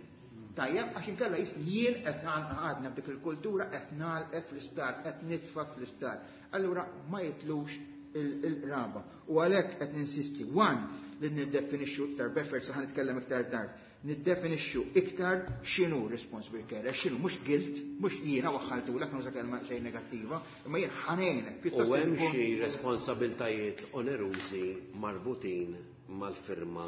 Tajjeb, għax inkella jis jien qed għadna b'dik il-kultura qed nagħlqek fl-isptar, qed nitfak fl-isptar. Allura ma jitlux il-raba. U għalhekk qed ninsisti, one, li niddefinixxu iktar beffer, sa ħa nitkellem iktar tard, niddefinixxu iktar x'inhu responsible care, x'inhu mhux guilt, mhux jiena waħħaltulek, nuża kelma xejn negattiva, imma jien ħa ngħinek. U hemm xi responsabiltajiet onerużi marbutin mal-firma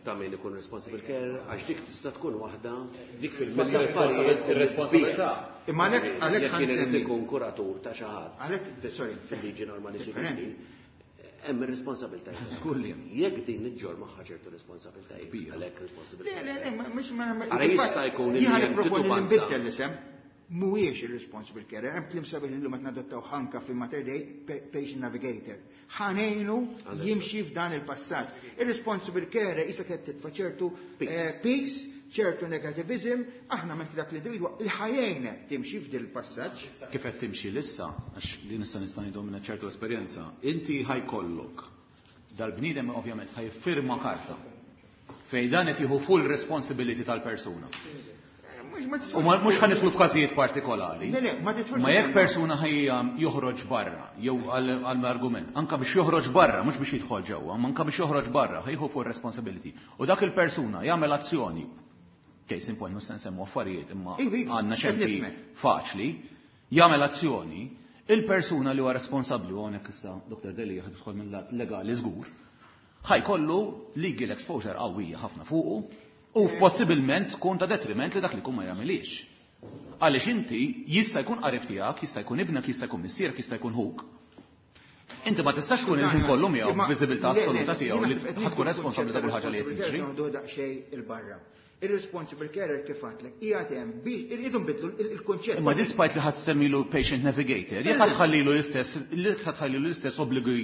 ta' min ikun responsible care, għax dik tista' tkun waħda Dik fil-responsabilità. Imma għalhekk għalhekk Jekk kien irid ħa nsemmi. ikun kuratur ta' xi ħadd Għalhekk, sorry, fil-liġi normali differenti. ċivili, hemm ir-responsabiltajiet. Żgur li hemm. Jekk din iġġor magħha ċertu responsabiltajiet, Kbira. għalhekk Le, responsabiltajiet. le, le, mhux ma Ara jista' jkun li Jiena hemm nipproponi li titubanza. nbiddel l-isem. Mhuwiex ir-responsible carer, hemm kliem sabiħ illum qed nadottaw ħanka fil-Mater Dei, patient navigator. Ħa ngħinu jimxi f'dan il-passaġġ. Ir-responsible carer issa qed titfa' ċertu Peace. eh, peace ċertu negativism, aħna mentri dak l-individwa il-ħajjejna timxi f'dil passaġġ. Kif qed timxi lissa, għax li nista' nista' ngħidu minn ċertu esperjenza, inti ħajkollok dal-bniedem ovvjament ħajfirma karta fejn dan qed jieħu full responsibility tal-persuna. U mhux ħa nidħlu f'każijiet partikolari. Le, le, ma tidħolx Ma jekk persuna ħajja joħroġ barra, jew għall-argument, anka biex joħroġ barra, mhux biex jidħol ġewwa, ma anka biex joħroġ barra, ħajħu full responsibility. U dak il-persuna jagħmel azzjoni, case in point, mhux se nsemmu affarijiet, imma Iva, iva, għandna qed xempi nifhmek. faċli, jagħmel azzjoni, il-persuna li huwa responsabbli, u hawnhekk issa Dr. Deli ħad tidħol mill-lat legali żgur, ħajkollu legal exposure qawwija ħafna fuqu u possibilment tkun ta' detriment li dak li jkun ma jagħmilix. Għaliex inti jista' jkun qarib tiegħek, jista' jkun ibnek, jista' jkun missierek, jista' jkun ħuk. Inti ma tistax tkun il-ħin kollu miegħu b'viżibilità assoluta tiegħu li ħatkun responsabbli ta' kull ħaġa li qed tiġri. Noħdu daqsxejn il-barra. Ir-responsible carer kif għedtlek, qiegħed hemm biex irridu nbidlu il-konċett. Imma despite li ħadd semmilu patient navigator, jekk ħadd ħallilu l-istess, li ħadd ħallilu l-istess obbligi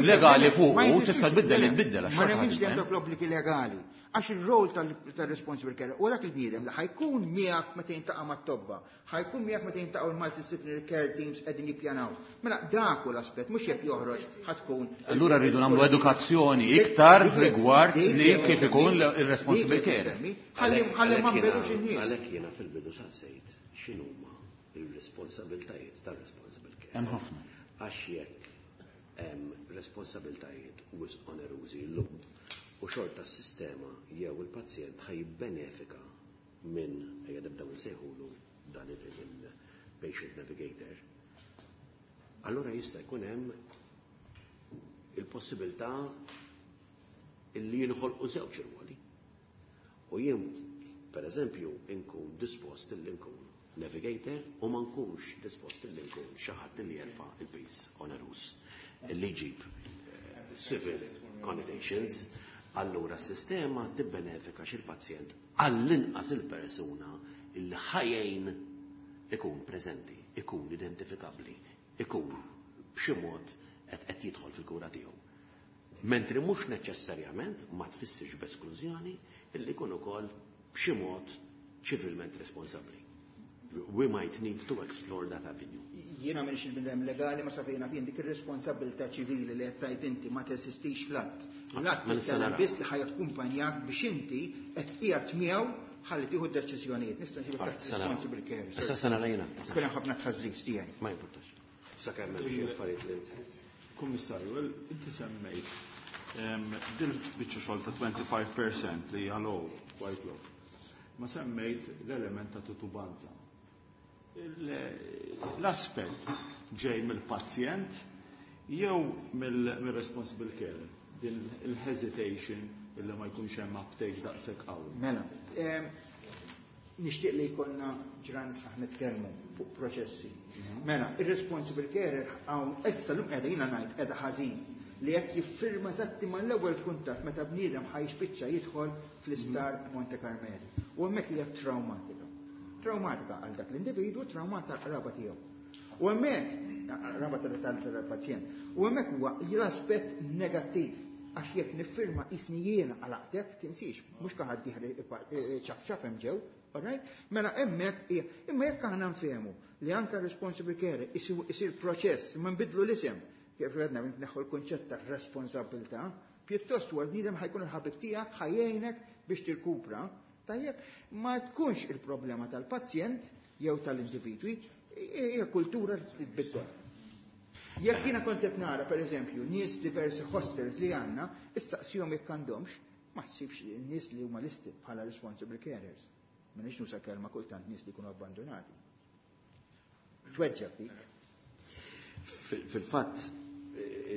legali fuq, tista' tbiddel li tbiddel għax Ma xorta nemminx li ħadd hemm dawk l-obbligi legali. Għax il-rol tal-responsible carer u dak il-bniedem li ħa jkun miegħek meta jintaqa' mat-tobba, ħa jkun miegħek meta jintaqgħu l-multidisciplinary care teams qegħdin jippjanaw. Mela dak hu l-aspett, mhux jekk joħroġ ħa tkun. Allura rridu nagħmlu edukazzjoni iktar rigward li kif ikun il-responsible care. Ħalli ħalli ma nbellux in-nies. Għalhekk jiena fil-bidu saqsejt x'inhuma il-responsabiltajiet tar-responsible care. Hemm ħafna. Għax jekk hemm responsabiltajiet wisq onerużi llum u xorta s-sistema jew il-pazjent ħa jibbenefika minn ejja nibdew nsejħulu dan il-patient navigator, allora jista' jkun hemm il-possibilità illi jinħolqu żewġ irwoli. U jien, per eżempju, inkun dispost illi nkun navigator u ma nkunx dispost illi nkun xi ħadd li jerfa' il-piż onerus illi jġib eh, civil connotations, allura s-sistema tibbenefika xil-pazjent għall-inqas il-persuna illi ħajjejn ikun preżenti, ikun identifikabbli, ikun b'xi mod qed qed jidħol fil-kura tiegħu. Mentri mhux neċessarjament ma tfissirx b'esklużjoni illi jkun ukoll b'xi mod ċivilment responsabbli. We might need to explore that avenue. Jiena m'iniex il-bniedem legali ma safejna fien dik ir-responsabilità ċivili li qed tgħid inti ma teżistix fl-att. L-att Ma nista' titkellem nara. biss li ħa jakkumpanjak biex inti qed qiegħed miegħu ħalli tieħu d-deċiżjonijiet. Nista' nsibek Alright, taħt sa naraw. responsible care. Issa sa nara jiena. Kien hemm ħafna tħassib tiegħi. Ma importax. Sakemm hemm xi affarijiet li Kummissarju, inti semmejt em, dil-biċċa xogħol ta' twenty-five percent li hija low, quite low. Ma semmejt l-element ta' titubanza. Il- L-aspett ġej mill-pazjent jew mill-responsible care, din il-hesitation illi ma jkunx hemm uptake daqshekk qawwi. Mela, em, nixtieq li jkollna ġran saħ nitkellmu fuq proċessi. Mela, ir-responsible carer hawn issa llum qiegħda jiena ngħid qiegħda ħażin li jekk jiffirma eżatti mal-ewwel kuntatt meta bniedem ħa jispiċċa jidħol fl-isptar Monte Carmeli. U hemmhekk hija traumatika. Traumatika għal dak l-individwu, traumatika għal qraba tiegħu. U hemmhekk qraba tal-pazjent. U hemmhekk huwa l-aspett negattiv għax jekk niffirma isni jiena għalaqtek, tinsiex, mhux kaħad diħri ċap ċap hemm ġew, alright? Mela hemmhekk hija, imma jekk aħna nfehmu li anka responsible care isir isir proċess, ma nbidlu l-isem, kif għedna neħu l-kunċett ta' responsabilità, pjuttost huwa l-bniedem ħa jkun il-ħabib tiegħek, ħa jgħinek biex tirkupra, tajjeb, ma tkunx il-problema tal-pazjent jew tal-individwi, hija kultura li titbiddel. Jekk jiena kont qed nara pereżempju nies diversi hostels li għandna, issaqsihom jekk għandhomx, ma ssibx nies li huma listed bħala responsible carers. M'iniex nuża kelma kultant nies li jkunu abbandonati. Tweġġa' dik. Fil-fatt,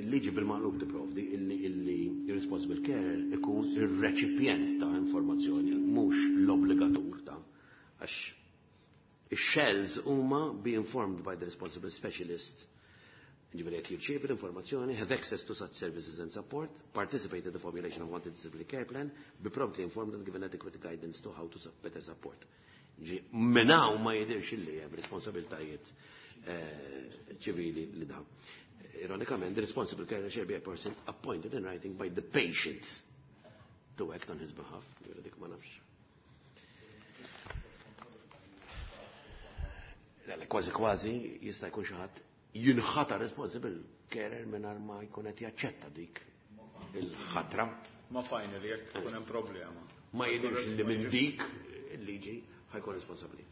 il-liġi bil-maqlub tipprovdi illi illi irresponsible carer ikun ir-reċipjent ta' informazzjoni, mhux l-obbligatur ta' għax ix-shells huma be informed by the responsible specialist, ġifieri qed jirċievi l-informazzjoni, have access to such services and support, participate in the formulation of multidisciplinary care plan, be promptly informed and given adequate guidance to how to better support. Ġi, minn hawn ma jidirx illi hemm responsabiltajiet eh, ċivili li dawn. Ironikament, the responsible carer shall be a person appointed in writing by the patient to act on his behalf. Ġifieri dik ma nafx. Kważi kważi jista' jkun xi ħadd jinħata responsible carer mingħajr ma jkun qed jaċċetta dik il-ħatra. Ma finally jekk ikun hemm problema. Ma jidhirx li minn dik il-liġi ħa jkun responsabbli.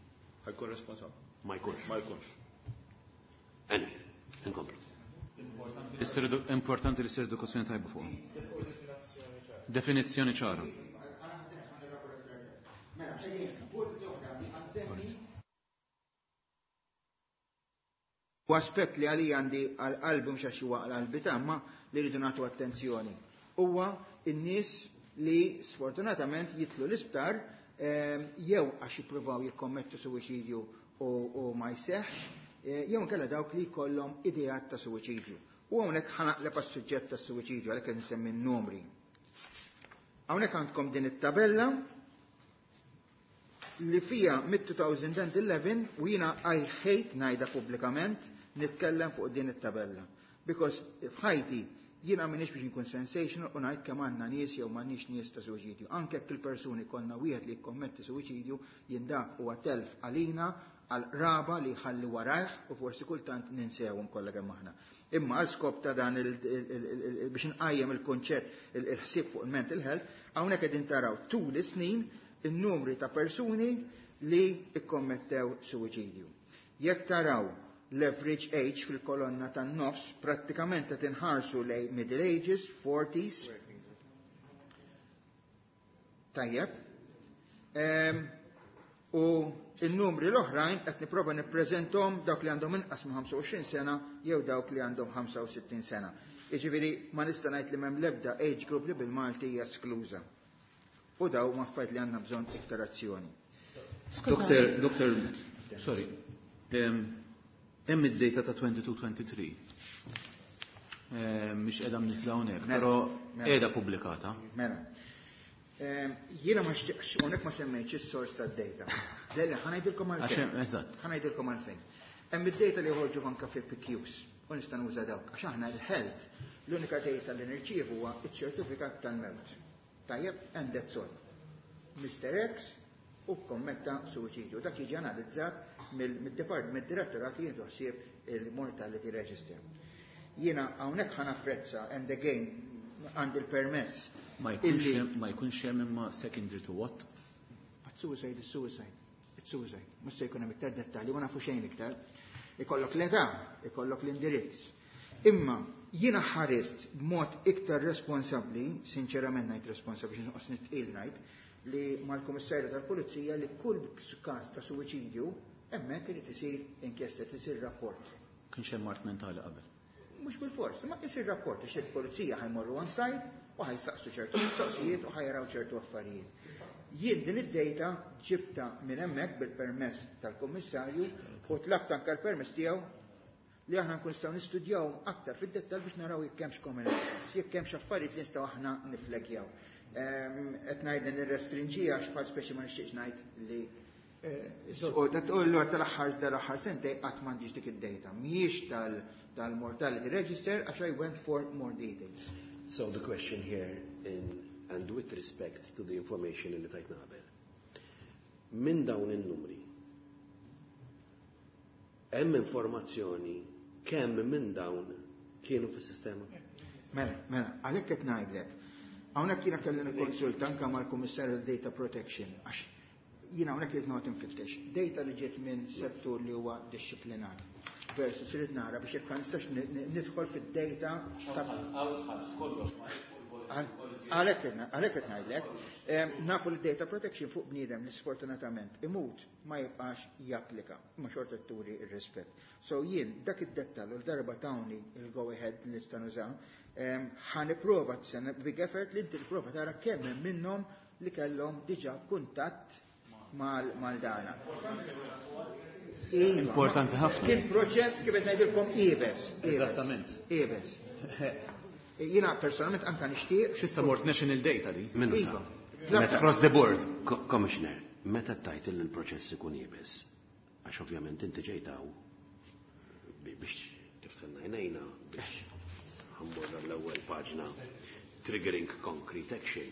Ħa jkun responsabbli. Ma jkunx. Ma jkunx. Anyway, inkomplu. Importanti li ssir edukazzjoni tajba fuq. Definizzjoni ċara. U aspett li għalija għandi għal-qalbi mhux għax huwa għal-qalbi tamma li rridu nagħtu attenzjoni. Huwa n-nies li sfortunatament jitlu l-isptar jew għax jippruvaw jikkommettu suwiċidju u ma jseħħx, jew inkella dawk li jkollhom ideat ta' suwiċidju. U hawnhekk ħa naqleb għas-suġġett tas-suwiċidju għalhekk qed insemmi n-numri. Hawnhekk għandkom din it-tabella li fija mid-two thousand eleven u jiena I hate ngħidha pubblikament nitkellem fuq din it-tabella. Because f'ħajti jiena m'iniex biex nkun sensational u ngħid kemm għandna nies jew m'għandniex nies ta' suwiċidju. Anke jekk il-persuni konna wieħed li jikkommetti suwiċidju, jien dak huwa telf għalina, għal raba li jħalli warajh u forsi kultant ninsewhom kollha kemm aħna. Imma għal skop ta' dan biex nqajjem il-konċett, il-ħsieb fuq il-mental health, hawnhekk qegħdin taraw tul is-snin in-numri ta' persuni li ikkommettew suwiċidju. Jekk taraw l-average age fil-kolonna tan-nofs, prattikament qed inħarsu lejn middle ages, forties. Tajjeb. Um, u il-numri l-oħrajn qed nipprova nippreżentom dawk li għandhom inqas minn ħamsa u għoxrin sena jew dawk li għandhom ħamsa u sittin sena. Jiġifieri ma nista' ngħid li m'hemm l-ebda age group li bil-Malti hija eskluża. U daw ma affarijiet li għandna bżonn iktar azzjoni. Doktor, doktor, sorry. Hemm id-data ta' twenty-two twenty-three. Mhix qiegħda mniżla hawnhekk, però qiegħda pubblikata. Mela. Jiena ma xtieqx, hawnhekk ma semmejtx is-sors tad-data. Le, ħa ngħidilkom għalfejn. Eżatt. Ħa ngħidilkom għalfejn. Hemm id-data li joħorġu anke fi P Qs u nista' nuża dawk. Għax aħna l-health, l-unika data li nirċievu huwa iċ-ċertifikat tal-mewt. Tajjeb, and that's all. Mister X u kommetta suwiċidju. Dak jiġi analizzat mill-department, mid-direttorat li jieħdu ħsieb il-Mortality Register. Jiena hawnhekk ħa napprezza, and again għandi l-permess. Ma jkunx hemm imma secondary to what? But suicide is suicide. It's suicide. Mhux se jkun hemm iktar dettalji, ma nafu xejn iktar. Ikollok l-età, ikollok l-indirizz. Imma jiena ħarist b'mod iktar responsabbli, sinċerament ngħid responsabbli, xi nitqil ngħid, li mal-Kummissarju tal-Pulizija li kull każ ta' suwiċidju hemmhekk irid isir inkjesta, isir rapport. Kienx hemm mard mentali qabel. Mhux bil-fors, ma isir rapport għax il-pulizija ħa jmorru on site u ħa jsaqsu ċertu mistoqsijiet u ħa jaraw ċertu affarijiet. Jien din id-data ġibta minn hemmhekk bil-permess tal-Kummissarju u tlabt anke l-permess tiegħu li aħna nkun nistgħu nistudjaw aktar fid-dettall biex naraw jekk hemmx common, jekk hemmx affarijiet li nistgħu aħna niflegjaw. Qed ngħid nirrestrinġija għax bħal speċi ma nixtieqx ngħid li U l tal-aħħar dal-aħħar sentej qatt m'għandix dik id-data. Mhijiex tal-Mortality Register għax I went for more details. So the question here, in, and with respect to the information li tajtna qabel, minn dawn in-numri, hemm informazzjoni kemm minn dawn kienu fis-sistema? Mela, mela, għalhekk qed ngħidlek. Hawnhekk jiena kelli nikkonsulta anke mal-Kummissarju Data Protection għax jiena hawnhekk irid noqgħod infittex. Data li ġiet minn settur li huwa dixxiplinat versus irid nara biex jekk nistax nidħol fid-data ta' Għalhekk għalhekk qed ngħidlek, nafu li data protection fuq bniedem li sfortunatament imut ma jibqax japplika, ma xorta turi ir-rispett. So jien dak id-dettall u l-darba tawni il-go ahead li nista' nuża, ħa nipprova big effort li inti tipprova tara kemm hemm minnhom li kellhom diġà kuntatt mal-dana. Iva. Importanti ħafna. Kien proċess kif qed ngħidilkom iebes. Eżattament. Iebes. Jiena personalment anka nixtieq. X'issa mort national data di? Iva. Across the board. Commissioner, meta tajt li l-proċess ikun iebes, għax ovvjament inti ġejtaw biex tiftħilna għajnejna biex ħa mmur l-ewwel paġna, triggering concrete action.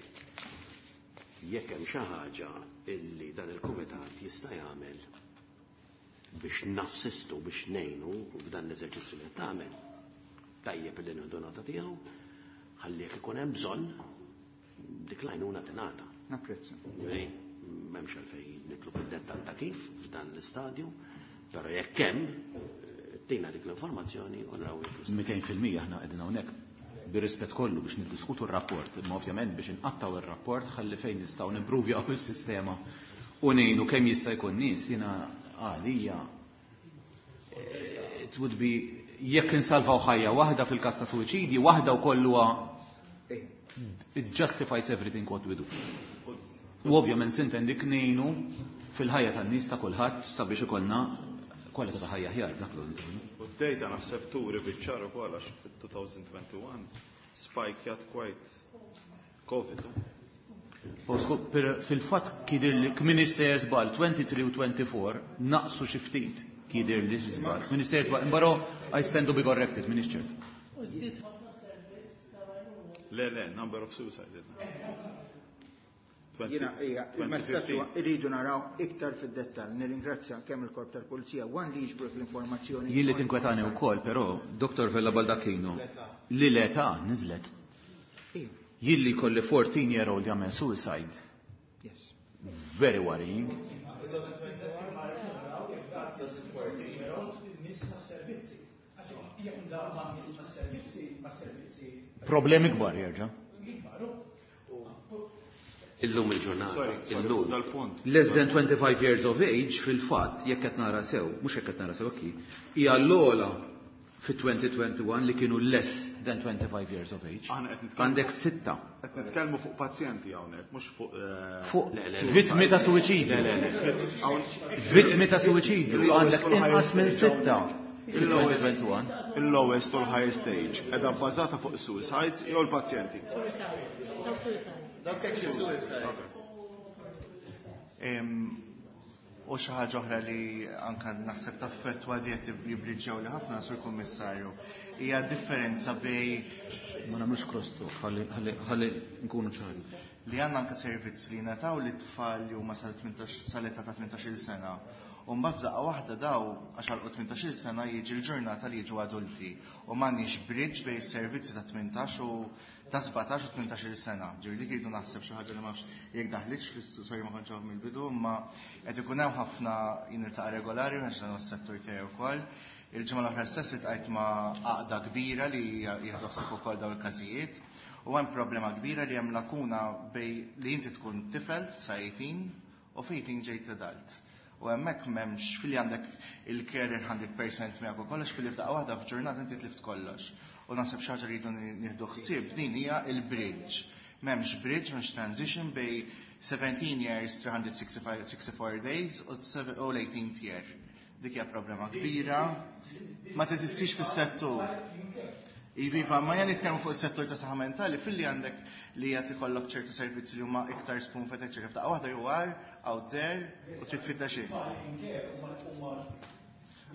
Jekk hemm xi ħaġa illi dan il-kumitat jista' jagħmel Biex nassistu, biex ngħinu f'dan l-eżerċizzju li tagħmel. Tajjeb li nieħdu nota tiegħu, ħalli jekk ikun hemm bżonn dik l-għajnuna tingħata. Napprezza. M'hemmx għalfejn nidħlu fid-dettall ta' kif f'dan l-istadju, però jekk hemm tina dik l-informazzjoni u naraw jekk mitejn fil-mija aħna qegħdin hawnhekk bir-rispett kollu biex niddiskutu r-rapport, imma ovvjament biex inqattaw ir-rapport ħalli fejn nistgħu nimpruvjaw is-sistema u ngħinu kemm jista' jkun nies, jiena għalija it would be jekk insalvaw ħajja waħda fil-każ ta' suwiċidji, waħda wkoll huwa it justifies everything what we do. U ovvjament sintendi ngħinu fil-ħajja tan-nies ta' kulħadd sabiex ikollna kwalità ta' ħajja aħjar, dak l U d-data naħseb turi biċ-ċar ukoll għax fit-twenty twenty-one spike quite COVID. Fil-fatt kidir li kmin sejjer żball twenty-three u twenty-four naqsu xi ftit kidir li żball. Min sejjer żball, imbaro I stand to be corrected, min ċert. Le, le, number of suicide. Jiena, ija, il-messaġġ huwa irridu naraw iktar fid-dettall. Nirringrazzja kemm il-Korp tal-Pulizija wan li jiġbru l-informazzjoni. Jien li tinkwetani wkoll, però, Doktor Vella Baldacchino, li l-età niżlet. Jien li kolli fourteen year old jagħmel suicide. Yes. Very worrying. Problemi kbar jerġa'. Illum il-ġurnata, illum. Dal-punt. Less than twenty-five years of age, fil-fatt, jekk qed nara sew, mhux jekk qed nara sew okki, hija l-ogħla fi twenty twenty-one li kienu less than twenty-five years of age. Aħna qed nitkellmu- Għandek sitta. Qed nitkellmu fuq pazjenti hawnhekk, mhux fuq eh, Fuq Le, le, le. vittmi ta' suwiċidju. Vittmi ta' suwiċidju għandek inqas minn sitta fi twenty twenty-one. Il-lowest u l-highest age qiegħda bbażata fuq suicides jew l-pazjenti? Dawk suicide. Em, U xi ħaġa oħra li anka naħseb taffettwa diet jibriġġew li ħafna, Sur Kummissarju, hija differenza bej Ma nagħmlux cross talk, ħalli ħalli ħalli nkunu ċari. Li għandna anka servizz li nataw li tfal li huma sal-tmintax sal-età ta' tmintax-il sena. U mbagħad f'daqqa waħda daw għax għalqu tmintax-il sena jiġi l-ġurnata li jiġu adulti. U m'għandniex bridge bejn is-servizzi ta' tmintax u ta' sbatax u tmintax-il sena. Ġifieri dik irridu naħseb xi ħaġa li ma nafx jekk daħlitx fl-sorry ma kontx hawn mill-bidu, imma qed ikun hemm ħafna niltaqa' regolari għax dan huwa s-settur tiegħi wkoll. Il-ġimgħa l-oħra stess iltqajt ma' għaqda kbira li jieħdu ħsieb ukoll dawn il-każijiet. U hemm problema kbira li hemm lakuna bej li inti tkun tifel sa eighteen u fejn ġejt adult. U hemmhekk m'hemmx fili għandek il-carer mija fil-mija miegħek u kollox fili f'daqqa waħda f'ġurnata inti tlift kollox. U naħseb xi ħaġa li rridu nieħdu ħsieb din hija il-bridge. M'hemmx bridge, m'hemmx transition bej seventeen years, three hundred sixty-four days u u l-eighteenth year. Dik hija problema kbira. Ma teżistix fis-settur. Iva, ma jan nitkellmu fuq is-settur ta' saħħa mentali filli għandek li qed ikollok ċertu servizzi li huma iktar spoon fed eċċetera. F'daqqa waħda you are out there u trid tfittex xejn.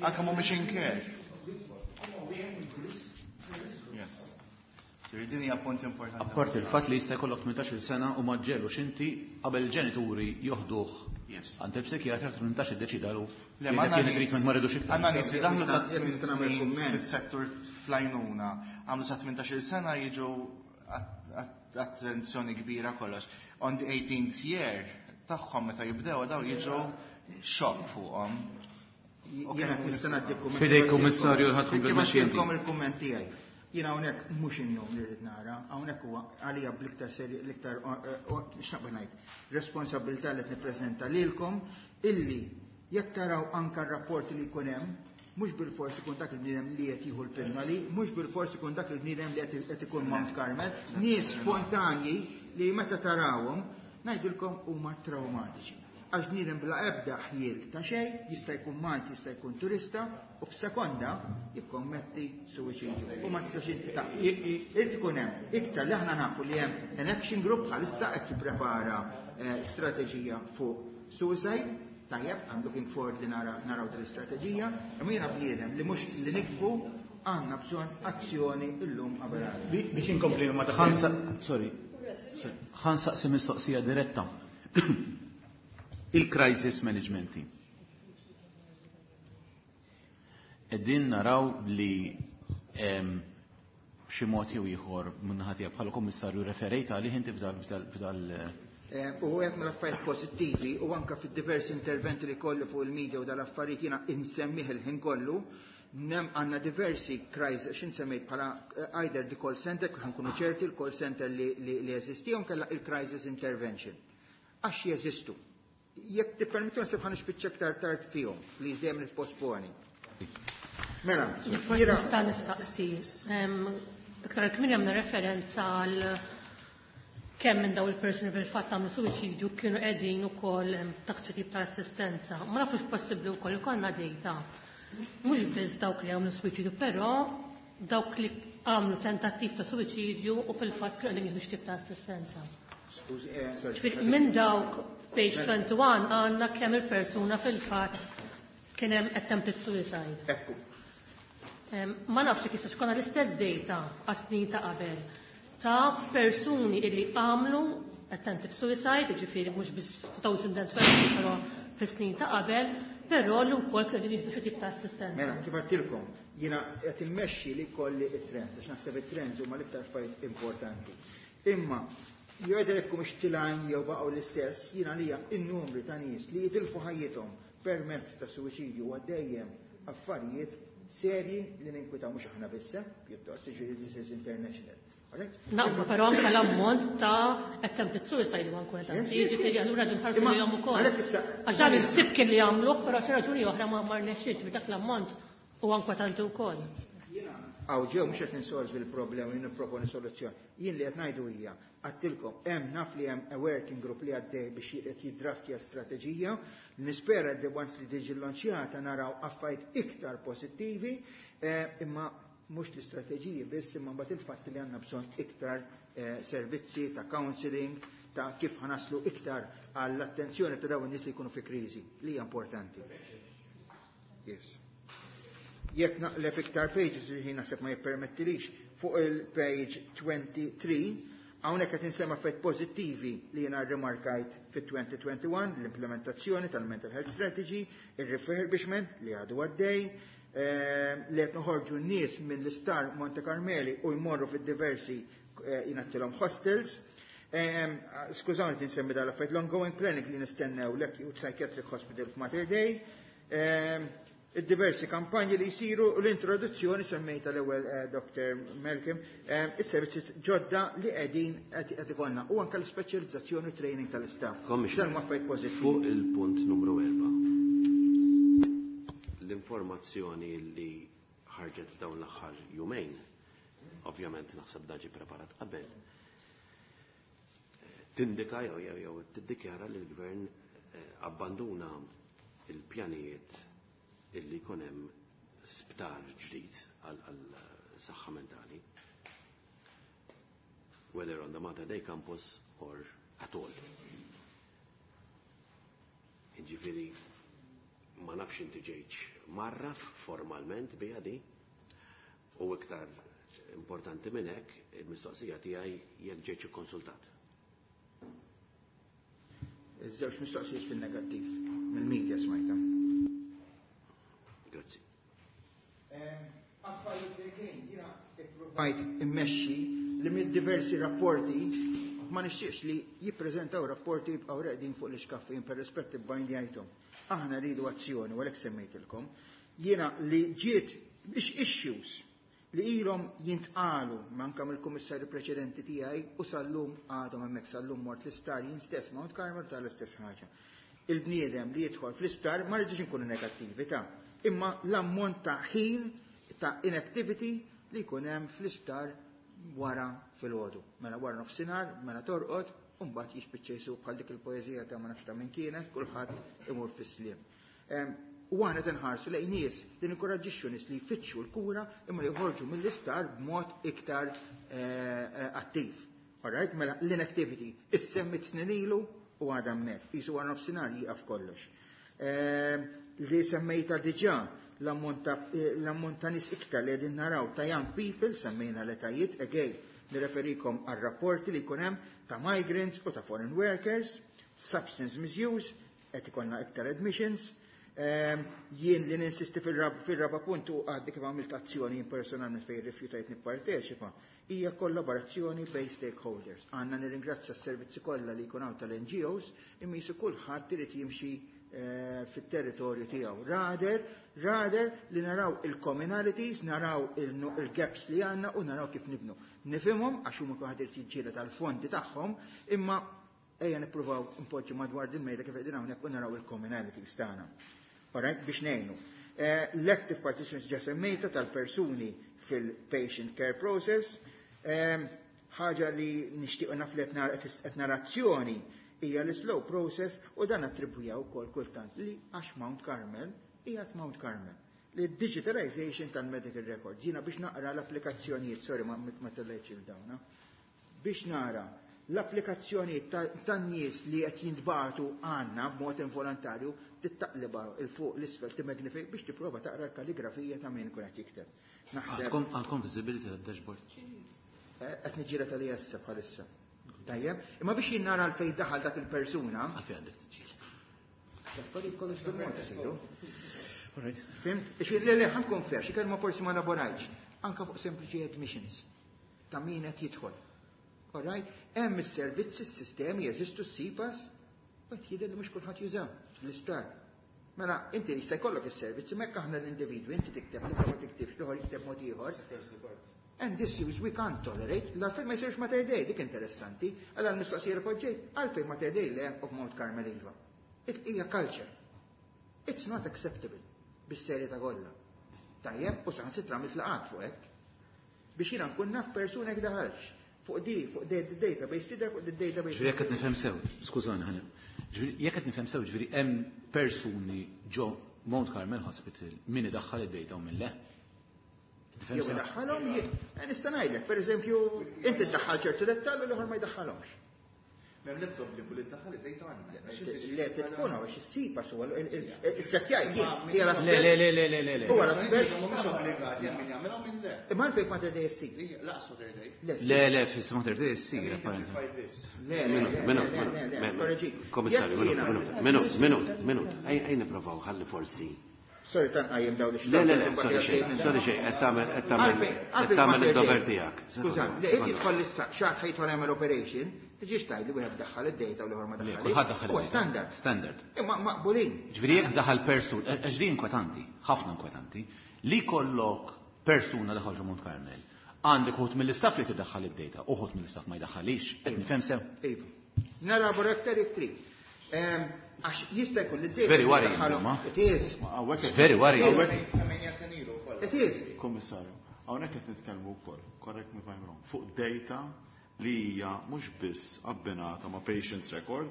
Anke mhumiex in care. Yes. Ġifieri din hija punt importanti. Apparti il-fatt li jista' jkollok tmintax-il sena u ma ġġegħlux inti qabel il-ġenituri joħduh Yes. għand il-psikjatra tmintax iddeċidalu Le, ma li kien treatment ma rridux iktar. Għandna nies li daħlu ta' Jekk nista' nagħmel tmien kumment. fis-settur fl-għajnuna, għamlu sa tmintax-il sena jiġu att- att- attenzjoni kbira kollox. On the eighteenth year tagħhom meta jibdew daw jiġu xokk fuqhom. Jiena nista' ngħaddi kumment. Fidejk, Kummissarju, ħadd Kif komplet għandilkom il-kumment tiegħi. Jiena hawnhekk mhux in-nom li rrid nara, hawnhekk huwa għalija bl-iktar seri l-iktar x'naqbel ngħid, responsabilità li qed nippreżenta lilkom illi jekk taraw anka r-rapporti li jkun hemm, mhux bil-fors ikun dak il-bniedem li qed jieħu l-pinnoli, mhux bil-fors ikun dak il-bniedem li qed ikun Mount Carmel, nies spontanji li meta tarawhom ngħidilkom huma traumatiċi. Għax bniedem bla ebda ħjiel ta' xejn, jista' jkun Malti, jista' jkun turista, u f'sekonda jikkommetti suwiċidju. U ma tistax inti ta' Irid ikun hemm iktar li aħna nafu li hemm an action group bħalissa qed jipprepara eh, strateġija fuq suicide. Tajjeb, I'm looking forward li nara naraw din l-istrateġija, imma jiena bniedem li mhux li nikbu għandna bżonn azzjoni illum qabel għada. Biex inkompli ma ta' Ħansa, sorry, sorry, ħa nsaqsi mistoqsija diretta. Il-crisis management team. Qegħdin naraw li b'xi mod jew ieħor min-naħa tiegħek bħala kummissarju referejt għalih inti f'dal U għed mill-affarijiet pożittivi u anka fid-diversi interventi li kollu fuq il-media u dal-affarijiet jiena insemmih il-ħin kollu, nem għanna diversi crisis, xin semmejt bħala either the call center, ħa nkunu ċerti il-call center li, li, li jeżisti, u kella il-crisis intervention. Għax jeżistu. Jekk tippermettu nsib ħa nispiċċa aktar tard fihom, please dejjem nipposponi. Mela, Forsi nista' nistaqsi. Iktar kmieni għamna referenza għal kemm minn daw il-persuni fil-fatt għamlu suwiċidju kienu qegħdin ukoll taħt xi tip ta' assistenza. Ma nafux possibbli wkoll ikollna data. Mhux biss dawk li għamlu suwiċidju, però dawk li għamlu tentattiv ta' suwiċidju u fil-fatt kienu qegħdin jieħdu xi tip ta' assistenza. Skużi, eh, sorry. Ġifieri minn dawk page twenty-one għandna kemm il-persuna fil-fatt kien hemm attempted suicide. Ekku. Ma nafx jekk jistax ikollna l-istess data għas-snin ta' qabel ta' persuni illi għamlu attempted suicide, ġifieri mhux biss twenty twenty, però fis-snin ta' qabel, però li wkoll kienu qegħdin jieħdu xi tip ta' assistenza. Mela, kif għedtilkom, jiena qed immexxi li kolli it-trends, għax naħseb it-trends huma l-iktar affarijiet importanti. Imma jgħider jekk mhux tilgħin jew baqgħu l-istess, jiena lija in-numri ta' nies li jitilfu ħajjithom permezz ta' suwiċidju huwa dejjem affarijiet serji li ninkwitaw mhux aħna biss, pjuttost, ġifieri this is international. Alright? Naqblu, però anke l-ammont ta' attempted suicide huwa inkwetanti. Yes, yes, Ġifieri yes. allura din ħarsu Imma lejhom ukoll. għalhekk issa- Għax dan il-sib kien li jagħmluh, però xi raġuni oħra ma ma rnexxiex dak l-ammont huwa inkwetanti wkoll. Għaw ġew mhux qed ninsolvi l-problema u nipproponi soluzzjoni. Jien li qed ngħidu hija, għedtilkom, hemm naf li hemm a working group li għaddej biex qed jiddraftja strateġija. Nispera li once li tiġi lonċjata naraw affarijiet iktar pożittivi, eh, imma mhux l-istrateġiji biss, imma mbagħad il-fatt li għandna bżonn iktar eh, servizzi ta' counseling, ta' kif ħa naslu iktar għall-attenzjoni ta' dawn in-nies li jkunu fi kriżi, li hija importanti. Yes. Jekk naqleb iktar pages li ħin naħseb ma jippermettilix fuq il-page twenty-three, hawnhekk qed insemma affarijiet pożittivi li jiena rrimarkajt fit-twenty twenty-one, l-implementazzjoni tal-Mental Health Strategy, il-refurbishment li għadu għaddej, eh, li qed noħorġu n-nies minn l-isptar Monte Carmeli u jmorru fid-diversi eh, jingħatilhom hostels. Ehm, Skużawni tinsemmi dal-affarijiet, l-ongoing planning li nistennew l-Acute Psychiatric Hospital f'Mater Dei, ehm, id-diversi kampanji li jisiru u l-introduzzjoni semmejta l-ewwel eh, Doctor Malcolm, eh, is-servizzi ġodda li qegħdin qed ikollna u anke l-ispeċjalizzazzjoni u training tal-istaff. Commissioner, Dan huma affarijiet pożittivi. Fuq il-punt numru erba'. L-informazzjoni li ħarġet f'dawn l-aħħar jumejn, ovvjament naħseb daġi preparat qabel, tindika jew jew jew tiddikjara li l-gvern eh, abbanduna il-pjanijiet illi jkun hemm sptar ġdid għal għal saħħa mentali. Whether on the Mater Dei campus or at all. Ġifieri, ma nafx inti ġejtx mgħarraf formalment biha di, u iktar importanti minn hekk, il-mistoqsija tiegħi jekk ġejtx ikkonsultat. Iż-żewġ mistoqsijiet fil-negattiv, mill-media smajta. Grazzi. Affarijiet li kien jiena ippruvajt immexxi li mid-diversi rapporti ma nixtieqx li jippreżentaw rapporti jibqgħu reqdin fuq l-iskaffi jien per rispett bajndjajthom. Aħna rridu azzjoni u għalhekk semmejtilkom. Jiena li ġiet biex issues li ilhom jintqalu manka mill-kummissarju preċedenti tiegħi u sal-lum għadhom hemmhekk, sal-lum mort l-isptar jien stess Mount Carmel tal-istess ħaġa. Il-bniedem li jidħol fl-isptar, ma rridux inkunu negattivi ta' imma l-ammont ta' ħin ta' inactivity li jkun hemm fl-isptar wara filgħodu. Mela wara nofsinhar, mela torqod, u mbagħad jispiċċa jsuq bħal dik il-poeżija ta' ma nafx ta' min kienet, kulħadd imur fis-sliem. Em, U aħna tinħarsu lejn nies li ninkoraġġixxu nies li jfittxu l-kura imma li joħorġu mill-isptar b'mod iktar eh, eh, attiv. Alright, mela l-inactivity issemmit snin ilu u għadha hemmhekk. Qisu wara nofsinhar jieqaf kollox. Em, Li semmejta diġà l-ammont ta' eh, l-ammont ta' nies iktar li qegħdin naraw ta' young people, semmejna l-etajiet, again, nirreferikom għal rapporti li jkun hemm ta' migrants u ta' foreign workers, substance misuse, qed ikollna iktar admissions, Ehm, jien li ninsisti fil-raba punt u għaddi kif għamilt azzjoni personalment fejn rifjutajt nipparteċipa, hija kollaborazzjoni bejn stakeholders. Għandna nirringrazzja s-servizzi kollha li jkun hawn tal-N G Os, imma jisu kulħadd irid jimxi eh, fit-territorju tiegħu. Rather, rather li naraw il-commonalities, naraw il-gaps li għandna u naraw kif nibnu. Nifhimhom għax huma kulħadd irid jiġġieled tal-fondi tagħhom, imma ejja nippruvaw npoġġu madwar din mejda kif qegħdin hawnhekk u naraw il-commonalities tagħna. Alright, biex ngħinu. Eh, l-active participants ġa semmejta tal-persuni fil-patient care process. Eh, ħaġa li nixtiequ naf li qed narazzjoni hija l-slow process u dan attribwija wkoll kultant li għax Mount Carmel hija Mount Carmel. Li digitalization tal-medical records. Jiena biex naqra l-applikazzjonijiet, sorry, ma ma tellejtx il-dawna, biex nara l-applikazzjoni tan-nies li qed jintbagħtu għandna b'mod involontarju tittaqliba 'l fuq 'l isfel, timmagnifik biex tipprova taqra l-kalligrafija ta' min ikun qed jikteb. Naħseb għandkom visibility tad-dashboard? Eh, qed niġġieled tal issa bħalissa. Tajjeb, imma biex jien nara għalfejn daħal dak il-persuna. Għalfejn għandek tiġġieled. L-affarijiet kollox bil-mod isiru. Fhimt? Le, le, ħa nkun fair, xi kelma forsi ma laborajtx. Anka fuq sempliċi admissions ta' min qed jidħol. Alright? Hemm is-servizzi, s-sistemi, jeżistu s-C PAS, qed jidher li mhux kulħadd juża fl-isptar. Mela, inti jista' jkollok is-servizzi, mekk aħna l-individwi, inti tikteb, li ma tiktibx, l-ieħor jikteb mod ieħor. And this is we can't tolerate. L-għalfejn ma jsirx Mater Dei, dik interessanti. Għalla l-mistoqsija li poġġejt, għalfejn Mater Dei le of Mount Carmel iva. Hija culture. It's not acceptable bis-serjetà kollha. Tajjeb, u saħansitra mitlaqat fuq hekk. Biex jiena nkun naf persuna jekk daħalx. Fuq di, fuq di database, tidher fuq di database. Ġifieri jekk qed nifhem sew, skużani ħana. Ġifieri jekk qed nifhem sew, ġifieri hemm persuni ġo Mount Carmel Hospital min idaħħal id-data u min le. Jew idaħħalhom, eh, nista' ngħidlek, pereżempju, inti ddaħħal ċertu dettall u l-ieħor ma jdaħħalhomx. M'hemm l-ebda obbligu li ddaħħal id-data għandna. Le, tkun għax is-C PAS huwa is-settjaj hija Le, le, le, le, le, le, le. Huwa l-aspett. Mhumiex obbligati, hemm min jagħmilha u min le. Imma għalfejn Mater Dei ssir. Lanqas Mater Dei. Le, le, fis Mater Dei ssir, apparently. Le, le, Minut, le, minut, le, le, le, minut. korreġi. Komissarju, Jekk minut, jiena- minut, minut, minut, minut. Ejja nipprovaw, ħalli forsi. Sorry, tan qajjem dawn Le, le, le, sorry xejn, sorry xejn, qed tagħmel qed tagħmel qed tagħmel id-dover tiegħek. Skuża, le, jekk jidħol issa xi ħadd ħa jidħol jagħmel operation, tiġix tgħid li wieħed daħħal id-data u l-ieħor ma Le, daħħal. kulħadd daħħal Huwa id-data. standard. Standard. Imma maqbulin. Ġifieri jekk daħal persun, għax din inkwetanti, ħafna inkwetanti, li kollok persuna daħal ġo Mount Carmel, għandek uħud mill-istaff li tiddaħħal id-data, uħud mill-istaff ma jdaħħalix, qed nifhem sew. Iva. Nelabora aktar jekk trid. Ehm, Għax jista' jkun li d-data. Very worrying, tiddaħħalhom- ma. It is. It's very worrying. Semmejna senilu wkoll. It is. Kommissarju, hawnhekk qed nitkellmu wkoll, correct me if I'm wrong, fuq data li hija mhux biss abbinata ma' patient's record,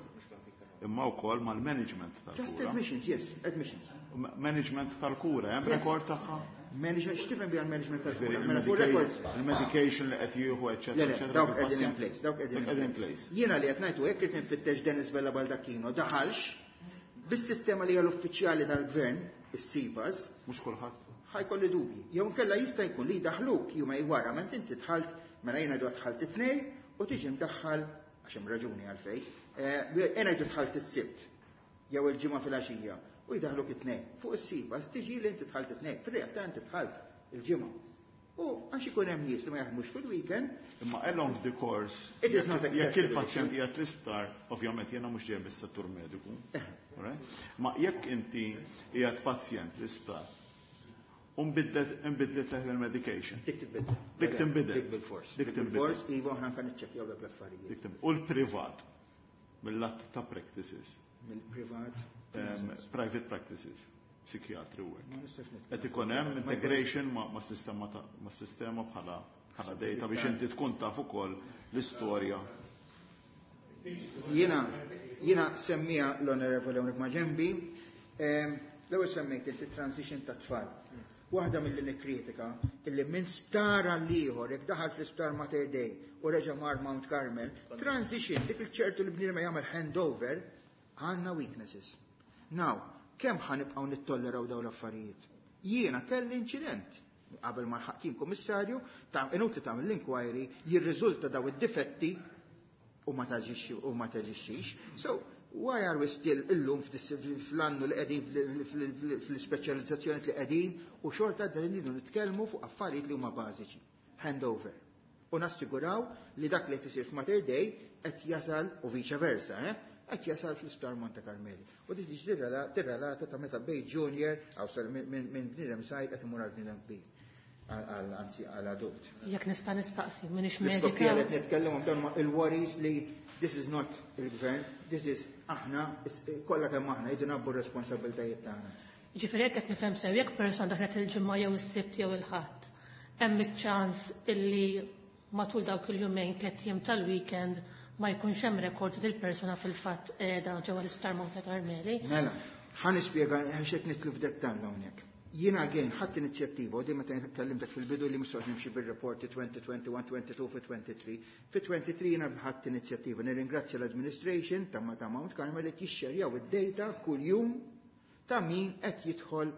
imma wkoll mal-management Just tal-kura. admissions, yes, admissions. Ma- Management tal-kura, hemm Yes. rekord tagħha? Management, x'tifhem biha l-management Ġifieri tal-kura? Mela fuq records. Il-medication li qed jieħu, Le, eċetera, le, eċetera. dawk qegħdin in fil-pazjent. place, dawk qegħdin Qegħdin in place. Jiena li qed ngħidu jekk irid nfittex Dennis Vella Baldacchino daħalx bis-sistema li hija l-uffiċjali tal-gvern, is-C PAS, Mhux kulħadd. Ħa jkolli dubji. Jew inkella jista' jkun li daħluk jumej wara, ment inti dħalt, mela jiena ngħidu dħalt it-Tnejn u tiġi mdaħħal għax hemm raġuni għalfejn. Eh, Jiena ngħidu dħalt is-Sibt jew il-Ġimgħa filgħaxija u jdaħluk it-Tnejn. Fuq is-C PAS tiġi li inti dħalt it-Tnejn. Fir-realtà inti dħalt il-Ġimgħa. U għax ikun hemm nies li ma jaħdmux fil-weekend, Imma along the course, It is not jekk acceptable. il-pazjent qiegħed l-isptar, ovvjament jiena mhux ġej mis-settur mediku. Alright? Ma jekk inti qiegħed pazjent l-isptar, u nbidlet nbidlet leħ il-medication. Dik tibdel. Dik tinbidel. Dik bil-fors. Dik tinbidel. Bil-fors, iva, aħna kan niċċekkjaw dak l-affarijiet. Dik tinbidel. U l-privat, mill-lat ta' practices, Mill-privat. um, private practices, psikjatri u hekk. Ma nistax nitkellem. Qed ikun hemm integration ma' ma' sistema ta' ma' sistema bħala bħala data biex inti tkun taf ukoll l-istorja. Jiena, jiena semmija l-Onorevole hawnhekk ma' ġembi, ehm, l-ewwel semmejt inti transition ta' tfal. Waħda mill-li nikkritika illi minn sptar għal ieħor jekk daħal fl-isptar Mater Dei u reġa' mar Mount Carmel, transition dik il-ċertu li bniedem jagħmel handover, għandna weaknesses. Now, kemm ħa nibqgħu nittolleraw dawn l-affarijiet? Jiena kelli inċident qabel ma lħaqt jien kummissarju, ta' inutli tagħmel l-inquiry, jirriżulta daw id-difetti u ma taġixxi u ma taġixxix. So, Why are we still illum fl-annu li qegħdin fl-ispeċjalizzazzjoni li qegħdin u xorta dan irridu nitkellmu fuq affarijiet li huma bażiċi. Handover. U nassiguraw li dak li qed isir f'Mater Dei qed jasal u viċa versa, eh? Qed jasal fl-Isptar Monte Carmeli. U dik tiġi tirrelata ta' meta bej junior aw sar minn bniedem sajt qed imur għal bniedem kbir. Anzi għal adult. Jekk nista' nistaqsi, m'iniex medika. Qed nitkellem dawn il-worries li this is not il-gvern, this is aħna, kollha kemm aħna jridu nabbu r-responsabbiltajiet tagħna. Ġifieri jekk qed nifhem sew jekk persuna daħlet il-ġimgħa jew is-Sibt jew il-Ħadd, hemm iċ-ċans illi matul dawk il-jumejn tliet jiem tal-weekend ma jkunx hemm rekords dil persuna fil-fatt qiegħda ġewwa l-Isptar Monte Carmeli. Mela, ħa nispjega għax qed nidħlu f'dettall hawnhekk. Jiena again ħadd inizjattiva u dejjem meta kellimtek fil-bidu li mhux nimxi bir-rapporti twenty twenty-one, twenty-two fi twenty-three. Fi twenty-three jiena ħadd inizjattiva. Nirringrazzja l-administration ta' ta' Mount Carmel li jixxerjaw id-data kuljum ta' min qed jidħol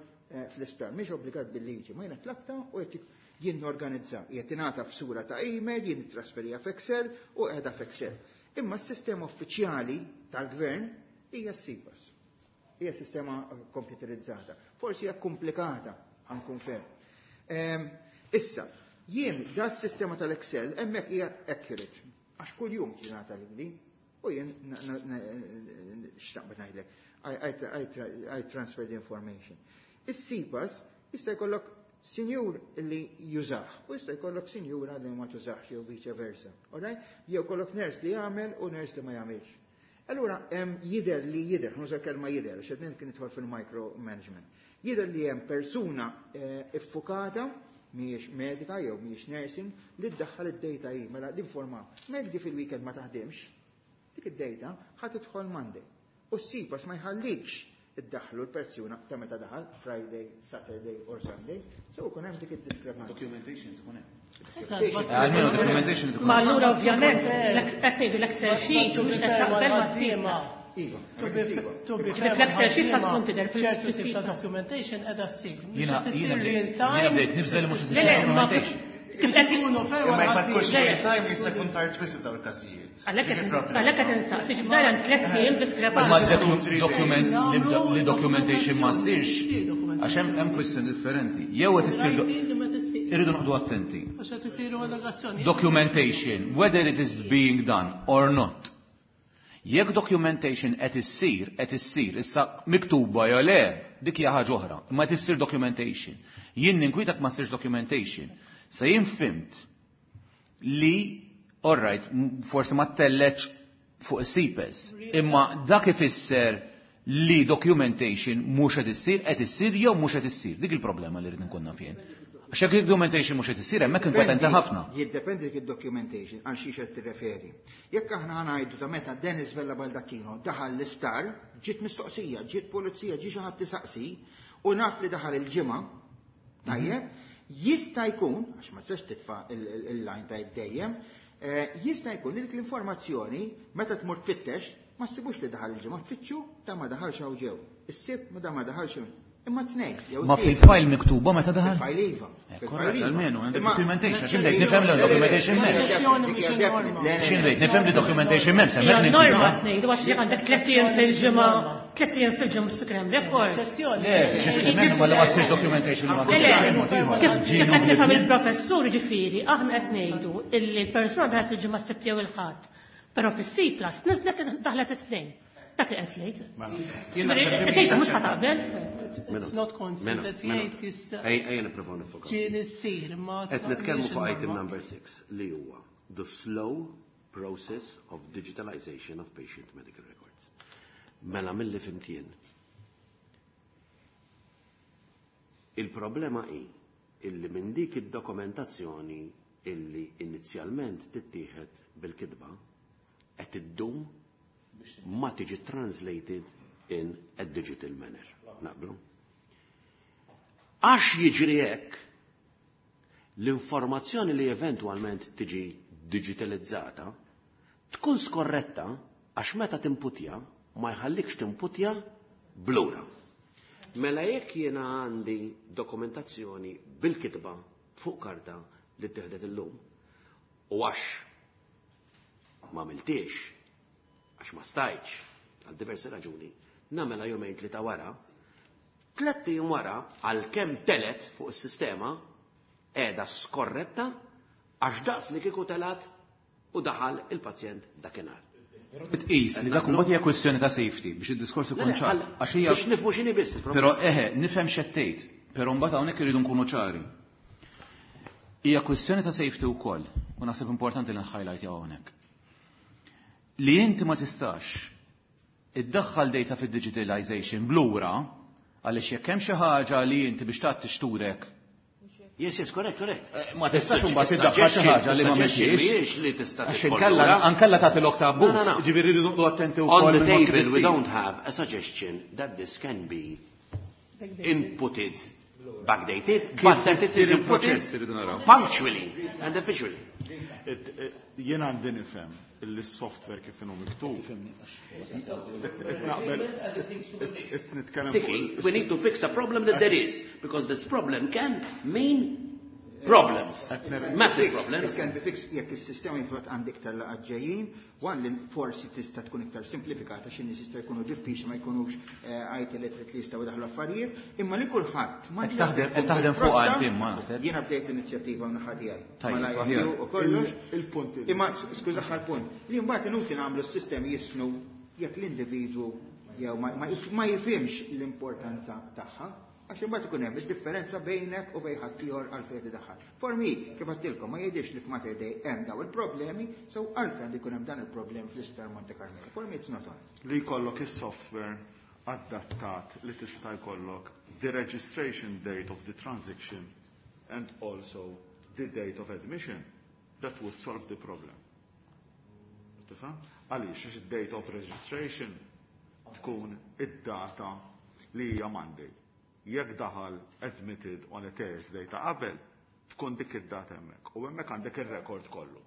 fl-isptar. Mhix obbligat bil-liġi, ma jiena tlabta u qed jien norganizza. Qed ingħata f'sura ta' email, jien nittrasferija f'Excel u qiegħda f'Excel. Imma s-sistema uffiċjali tal-gvern hija s-SIPAS. Hija sistema komputerizzata. Forsi hija komplikata, ħankun fer. Issa, jien da s-sistema tal-Excel hemmhekk hija accurate. Għax kuljum tingħata lili u jien x'naqbad ngħidlek. I transfer the information. Is-SIPAS jista' jkollok sinjur li jużax u jista' jkollok sinjura li ma tużax jew vice versa. Alright? Jew kollok nurse li jagħmel u nurse li ma jagħmilx. Allura hemm jidher li jidher, nuża kelma jidher, għax qed kien nidħol fil-micromanagement. Jidher li hemm persuna iffukata mhijiex medika jew mhijiex nursing li ddaħħal id-data hi, mela l-informa. Mek di fil-weekend ma taħdimx, dik id-data ħa tidħol Monday. U s-SIPAS ma jħallikx iddaħħlu l-persuna ta' meta daħal Friday, Saturday or Sunday, so kun hemm dik id-diskrepanza. Documentation tkun hemm. Almenu documentation tkun. Ma allura ovvjament qed ngħidu l-Excel sheet u mhux qed taqbel ma' Iva. L-Excel sheet sa tkun tidher ċertu tip ta' documentation qiegħda ssir. Jiena jiena bdejt nibżel li mhux documentation. Kif qed ikunu ferma ma tkunx real time jista' jkun tard wisq f'dawn il-każijiet. Għalhekk qed insaqsi ġibda hemm tliet ijiem diskrepanza. Ma document li documentation ma ssirx għax hemm hemm kwistjoni differenti. Jew qed issir irridu noqogħdu attenti. Għax qed isiru allegazzjoni. Documentation, whether it is being done or not. Jekk documentation qed issir, qed issir, issa miktuba jew le, dik hija ħaġa oħra, imma qed issir documentation. Jien ninkwitak ma ssirx documentation. Se jien fimt li, all right, forsi ma telleċ fuq is-SIPAS, imma dak ifisser li documentation mhux qed issir, qed issir jew mhux qed issir. Dik il-problema li rrid nkun naf jien. Għax jekk documentation mhux qed issir, hemmhekk inkwetanta ħafna. Jiddependi dik id-documentation għal xiex qed tirreferi. Jekk aħna ngħidu ta' meta Dennis Vella Baldacchino daħal l-isptar, ġiet mistoqsija, ġiet pulizija, ġie xi ħadd tisaqsi, u naf li daħal il-ġimgħa, tajjeb, jista' jkun, għax ma tistax titfa' il-line ta' dejjem, jista' jkun li dik l-informazzjoni meta tmur tfittex ma ssibux li daħal il-ġimgħa, tfittxu ta' ma daħalx hawn ġew. Issib ma da ma daħalx hawn. Imma tnejn, jew Ma fil-file miktuba meta daħal? Fil-file iva. Korrett, almenu, għandek documentation, għax bdejt nifhem li documentation m'hemm. X'in bdejt nifhem li documentation m'hemm, semmek Norma tnejn, għax jekk għandek tliet ijiem fil-ġimgħa, tliet ijiem fil-ġimgħa mhux tikren rekord. Le, x'in ma ma ssirx documentation ma Kif qed nifhem il-professur ġifieri, aħna qed ngħidu illi l-persuna daħlet il-ġimgħa s-Sibt jew il-Ħadd, però fis-C plus niżlet daħlet it-tnejn. Dak li qed jgħid. Ġifieri mhux ħataqbel. It's not constant qed jgħid jista' Ejja nipprovaw nifokaw. Ġieli ssir imma Qed nitkellmu fuq item number six li huwa the slow process of digitalization of patient medical records. Mela milli fimtien. Il-problema hi illi minn dik id-dokumentazzjoni illi inizjalment tittieħed bil-kitba qed iddum ma tiġi translated in a digital manner. Naqblu? Għax jiġri hekk, l-informazzjoni li eventwalment tiġi digitalizzata tkun skorretta għax meta timputja ma jħallikx timputja blura. Mela jekk jiena għandi dokumentazzjoni bil-kitba fuq karta li ttieħdet illum u għax ma miltiex, għax ma stajtx, għal diversi raġuni, nagħmilha jumejn tlieta wara, tlett ijiem wara għalkemm telgħet fuq is-sistema qiegħda skorretta għax daqs li kieku telgħet u daħal il-pazjent dakinhar. Tqis li dak imbagħad hija kwestjoni ta' safety biex id-diskors ikun ċar. Għax hija biex nifhmu x'inhi biss il-problema. Però eħe, nifhem x'għedt, però mbagħad hawnhekk irridu nkunu ċari. Hija kwestjoni ta' safety wkoll, u naħseb importanti li nhighlight hawnhekk. Li inti ma tistax iddaħħal data fid-digitalization blura għaliex jekk hemm xi ħaġa li inti biex tagħti xturek Yes, yes, correct, correct. Ma tistax imbagħad iddaħħal xi ħaġa li ma mexiex. Mhijiex li tista' Għax inkella ankella tagħti lok ta' abbuż. Ġifieri rridu noqogħdu attenti wkoll. On the table we don't have a suggestion that this can be inputted, backdated, but that it is inputted punctually and officially. Jien għandi nifhem illi s-software kif inhu miktub. Naqbel nitkellem Tiki, we need to fix a problem that there is, because this problem can mean problems, massive problems. It can be fixed jekk is-sistema jinfrot għandek tal-laqgħat ġejjin, one li forsi tista' tkun iktar simplifikata xi nies jista' jkunu diffiċli ma jkunux I T literate li jistgħu jdaħlu affarijiet, imma li kulħadd ma Qed taħdem qed taħdem fuq għal ma naħseb. Jiena bdejt inizjattiva naħa tiegħi. Tajjeb, Mal-I T u kollox. Il-punt Imma skuża aħħar punt, li mbagħad inutli nagħmlu s-sistemi jisnu jekk l-individwu jew ma jifhimx l-importanza tagħha. Għax imbagħad ikun hemm id-differenza bejnek u bejn ħaddieħor għalfejn tidaħħal. For me, kif għedtilkom, ma jgħidix li f'Mater Dei hemm daw il-problemi, so għalfejn ikun hemm dan il-problem fl-Isptar Monte Carmelo. For me it's not on. Li jkollok is-software adattat li tista' jkollok the registration date of the transaction and also the date of admission, that would solve the problem. Tifhem? Għaliex għax id-date of registration tkun id-data li hija Monday. Jekk daħal admitted on a Thursday ta' qabel, tkun dik id-data hemmhekk. U hemmhekk għandek ir-rekord kollu.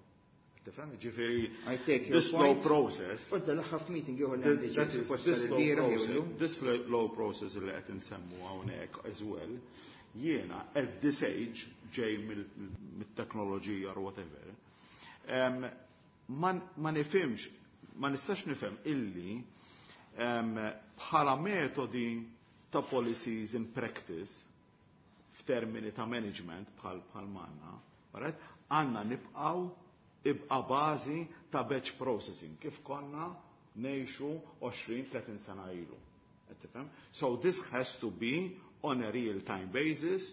Tifhem? Ġifieri I take your this slow point. process U l-aħħar meeting ieħor li għandi That is, suppost this slow il-bieraħ process, jew this slow process li qed insemmu hawnhekk as well, jiena at this age ġej mit-teknoloġija or whatever, um, ma, ma nifhimx, ma nistax nifhem illi um, bħala metodi ta' policies in practice f'termini ta' management bħal bħal manna, right? Għandna nibqaw ibqa bażi ta' batch processing kif konna ngħixu għoxrin tletin sena ilu. Qed tifhem? So this has to be on a real time basis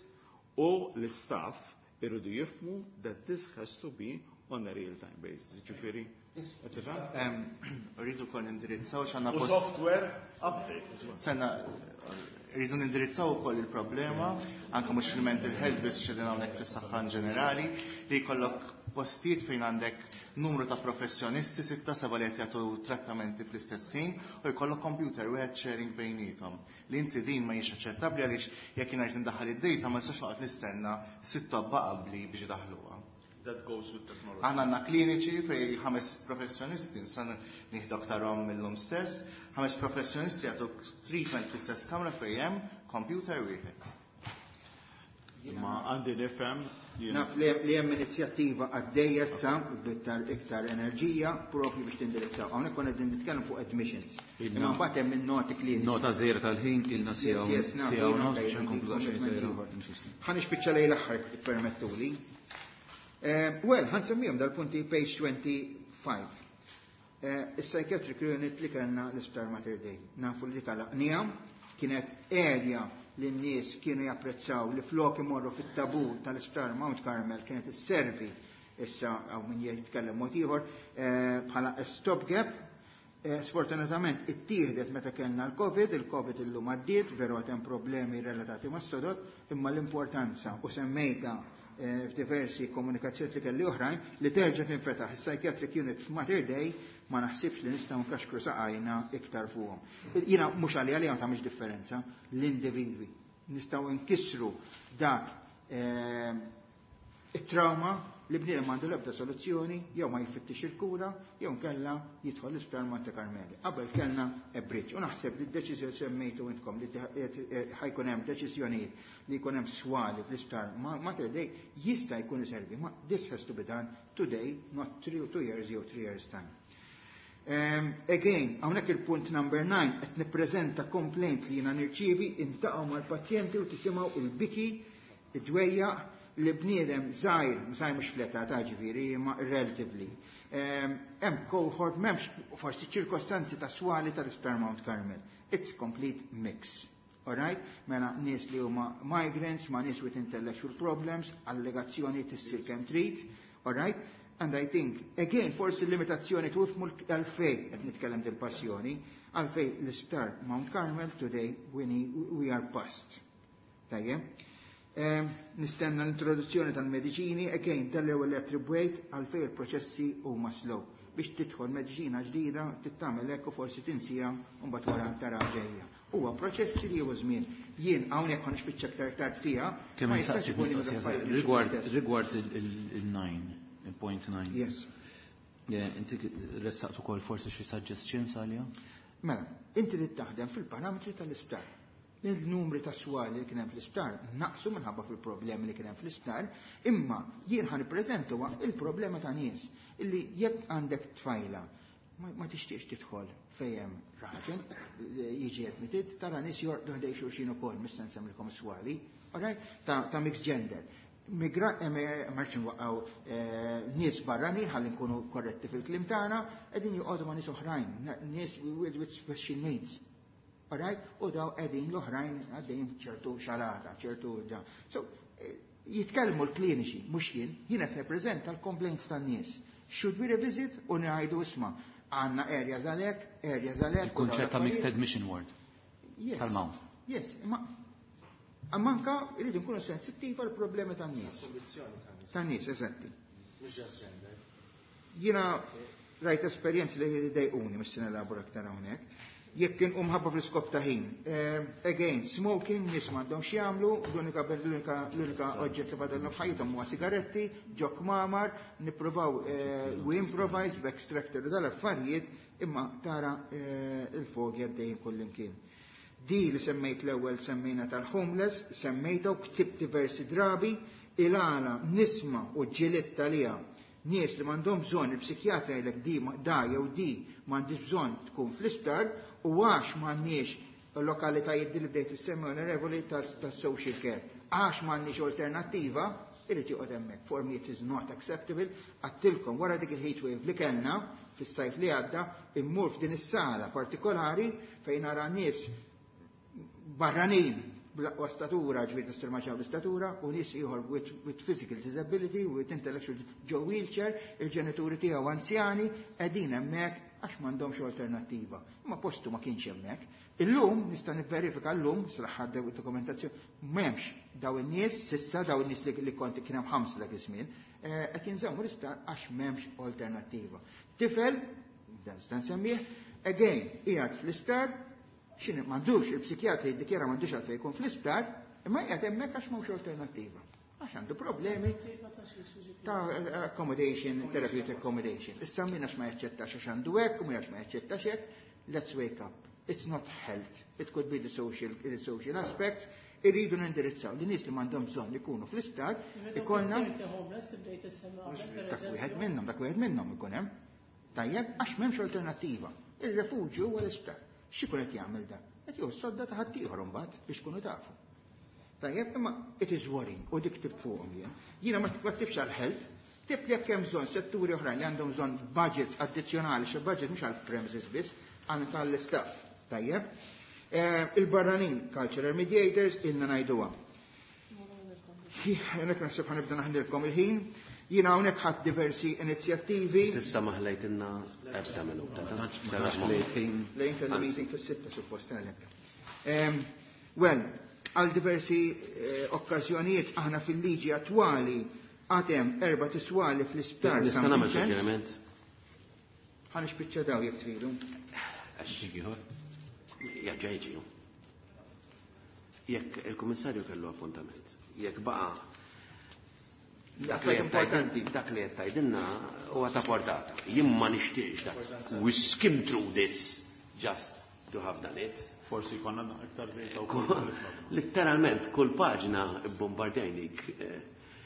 u l-staff irridu jifhmu that this has to be on a real time basis. Ġifieri, qed tifhem? Rridu kol nindirizzaw x'għandna U post software updates as well. Sena, rridu nindirizzaw ukoll il-problema, anke mhux fil-mental health biss, xedin hawnhekk fis-saħħa in ġenerali, li jkollok postijiet fejn għandek numru ta' professjonisti, sitta, seba' li qed jagħtu trattamenti fl-istess ħin u jkollok computer wieħed sharing bejniethom. Li inti din ma hijiex aċċettabbli għaliex jekk jien rrid indaħħal id-data ma nistax noqgħod nistenna sitt tobba qabli biex idaħluha. That goes with technology. Aħna għandna kliniċi fej ħames professjonisti, nsan nieħdu aktarhom mill-lum stess, ħames professjonisti jagħtu treatment fl-istess kamra fejn hemm computer wieħed. Ma għandi nifhem jiena- Naf li li hemm inizjattiva għaddejja issa b'iktar iktar enerġija propju biex tindirizzaw. Hawnhekk konna qegħdin nitkellem fuq admissions. Imma mbagħad hemm in-noti kliniċi. Nota żgħira tal-ħin ilna siegħa Yes, yes, naf, siegħa u jiena nofs okej, biex nkomplu għandi daqsxejn commitment żgħira. ieħor. Ħa nispiċċa lejn l-aħħar jekk tippermettuli. Eh, Well, ħa nsemmihom dal-punti page twenty-five. Eh, Is-psychiatric unit li kellna l-Isptar Mater Dei. Nafu li dik għalaqnieha, kienet area li n-nies kienu japprezzaw li flok imorru fit-tabur tal-Isptar Mount Carmel kienet isservi issa għaw min jitkellem mod ieħor eh, bħala stopgap. Eh, Sfortunatament ittieħdet meta kellna l-Covid, il-Covid illum għaddiet, veru għad hemm problemi relatati mas-sodod, imma l-importanza u semmejta eh, f'diversi komunikazzjoni li kelli oħrajn li terġa' tinfetaħ is-psychiatric unit f'Mater Dei ma naħsibx li nistgħu nkaxkru saqajna iktar fuqhom. Jiena mhux għalija li ma tagħmilx differenza l-individwi. Nistgħu nkissru dak eh, it-trauma li bniedem m'għandu l-ebda soluzzjoni, jew ma jfittix il-kura, jew nkella jidħol l-isptar Monte Carmeli. Qabel kellna a bridge. U naħseb li d-deċiżjoni semmejtu intkom li ħa jkun hemm deċiżjonijiet li jkun hemm swali fl-isptar Mater Dei jista' jkun iservi, ma this has to be done today, not three, two years jew three years time. Um, again, hawnhekk il-punt number nine qed nippreżenta complaint li jiena nirċievi, iltaqgħu mal-pazjenti u tisimgħu il-biki, id-dwejjaq li bniedem żgħir, żgħir mhux fl-età ta' ġifieri, imma relatively. Hemm um, cohort m'hemmx forsi ċirkostanzi ta' swali tal-Isptar Mount Carmel. It's complete mix. Alright? Mela nies li huma migrants, ma nies with intellectual problems, allegazzjoni tissir kemm trid, alright? And I think, again, forsi limitazzjoni tifhmu għalfejn qed nitkellem dil-passjoni, għalfejn l-Isptar Mount Carmel today we, we are past. Tajjeb? Um, nistenna l-introduzzjoni tal-mediċini, again, tal-ewwel attribwejt għalfejn il-proċessi huma slow. Biex tidħol mediċina ġdida, tittamel hekk u forsi tinsija u mbagħad wara tara ġejja. Huwa proċessi li huwa żmien. Jien hawnhekk ħa nispiċċa aktar tard fiha. Kemm nistaqsi rigward rigward il-nine, il-point nine. Yes. Inti ressaqt ukoll forsi xi suggestions għalija? Mela, inti li taħdem fil-parametri tal-isptar. Il-numri ta' swali li kien hemm fl-isptar naqsu minħabba fil-problemi li kien hemm fl-isptar, imma jien ħa nippreżentu il-problema ta' nies illi jekk għandek tfajla ma, ma tixtieqx tidħol fejn raġel jiġi admitted, tara nies jorqdu ħdejn xulxin ukoll mista nsemmilkom swali, alright? Ta', ta' mixed gender. Migra, marx nwaqgħu nies barranin ħalli nkunu korretti fil-kliem tagħna, qegħdin joqogħdu ma' nies oħrajn, nies with, with special needs. Alright? U daw qegħdin l-oħrajn għaddejn ċertu xalata, ċertu da. So, jitkellmu l-kliniċi, mhux jien, jien qed nippreżenta l-complaints tan-nies. Should we revisit u ngħidu isma' għandna areas għalhekk, areas għalhekk. Il-kunċett ta' mixed admission ward. Yes. Tal-Mount. Yes, imma manka irridu nkunu sensittivi għal problemi tan-nies. Tan-nies, eżatti. Jiena rajt esperjenzi li dejquni, mhux se nelabora aktar hawnhekk. Jekk kien umħabba fl-iskop ta' ħin. Again, smoking, nies m'għandhom x'jagħmlu, l-unika l-unika l-unika oġġett li fadalhom f'ħajjithom huwa sigaretti, ġo kmamar, nippruvaw we improvise b'extractor u dal-affarijiet, imma tara il-fogi għaddejjin kullimkien. Di li semmejt l-ewwel semmejna tal-homeless, semmejta u ktibt diversi drabi, il-għala nisma u ġiliet talija. Nies li m'għandhom bżonn il-psikjatra jgħidlek di da jew di m'għandix bżonn tkun fl-isptar u għax m'għandniex lokalitajiet li bdejt issemmi onorevoli tas-social care. Għax m'għandniex alternattiva, irid joqgħod hemmhekk. For me it is not acceptable. Għedtilkom wara dik il-heat wave li kellna fis-sajf li għadda, immur f'din is-sala partikolari fejn nara nies barranin bl-aqwa statura, ġifieri tistirmaċaw l-istatura, u nies ieħor with, with physical disability, with intellectual ġo wheelchair, il-ġenituri tiegħu anzjani, qegħdin hemmhekk għax m'għandhomx alternattiva. Imma postu ma kienx hemmhekk. Illum nista' nivverifika llum sal-aħħar dokumentazzjoni m'hemmx daw in-nies sissa daw in-nies li, li kont kien hemm ħamsa dak iż-żmien, qed jinżammu l-isptar għax m'hemmx alternattiva. Tifel, dan nista' nsemmih, again qiegħed fl-isptar, x'inhi m'għandux il-psikjatri jiddikjara m'għandux għalfejn jkun fl-isptar, imma qiegħed hemmhekk għax m'hawnx alternattiva. Għax għandu problemi ta' accommodation, therapeutic accommodation. Issa min għax ma jaċċettax għax għandu hekk, u min għax ma jaċċettax hekk, let's wake up. It's not health. It could be the social, the social aspects. Irridu nindirizzaw li nies li m'għandhom bżonn ikunu fl-isptar, ikollna dak wieħed minnhom, dak wieħed minnhom ikun hemm. Tajjeb, għax m'hemmx alternattiva. Il-refuġju huwa l-isptar. X'ikun qed jagħmel dan? Qed jieħu sodda ta' ħaddieħor imbagħad biex tkunu tafu. Tajjeb, imma it is worrying u dik ktibt fuqhom jien. Jiena ma ktibx għal health, ktibt jekk hemm bżonn setturi oħrajn li għandhom bżonn budgets addizzjonali, xi budget mhux għal premises biss, għal tal-istaff. Tajjeb. Il-barranin, cultural mediators, ilna ngħiduha. Hawnhekk naħseb ħa nibda naħdilkom il-ħin. Jiena hawnhekk ħadd diversi inizjattivi. S'issa ma ħlejtilna ebda minuta. Lejn kelli meeting fis-sitta suppost għalhekk. Well, għal diversi okkażjonijiet aħna fil-liġi attwali għatem erba' tiswali fl-isptar. Nista' nagħmel suġġeriment? Ħa nispiċċa daw jekk tridu. Jaġġa jiġi. Jekk il-Kummissarju kellu appuntament, jekk baqa' dak li importanti. Dak li qed tgħidilna huwa ta' portata. Jien ma nixtieqx dak. We skim through this just to have done it. Forsi konna aktar data wkoll. Letteralment, kull paġna bombardajnik.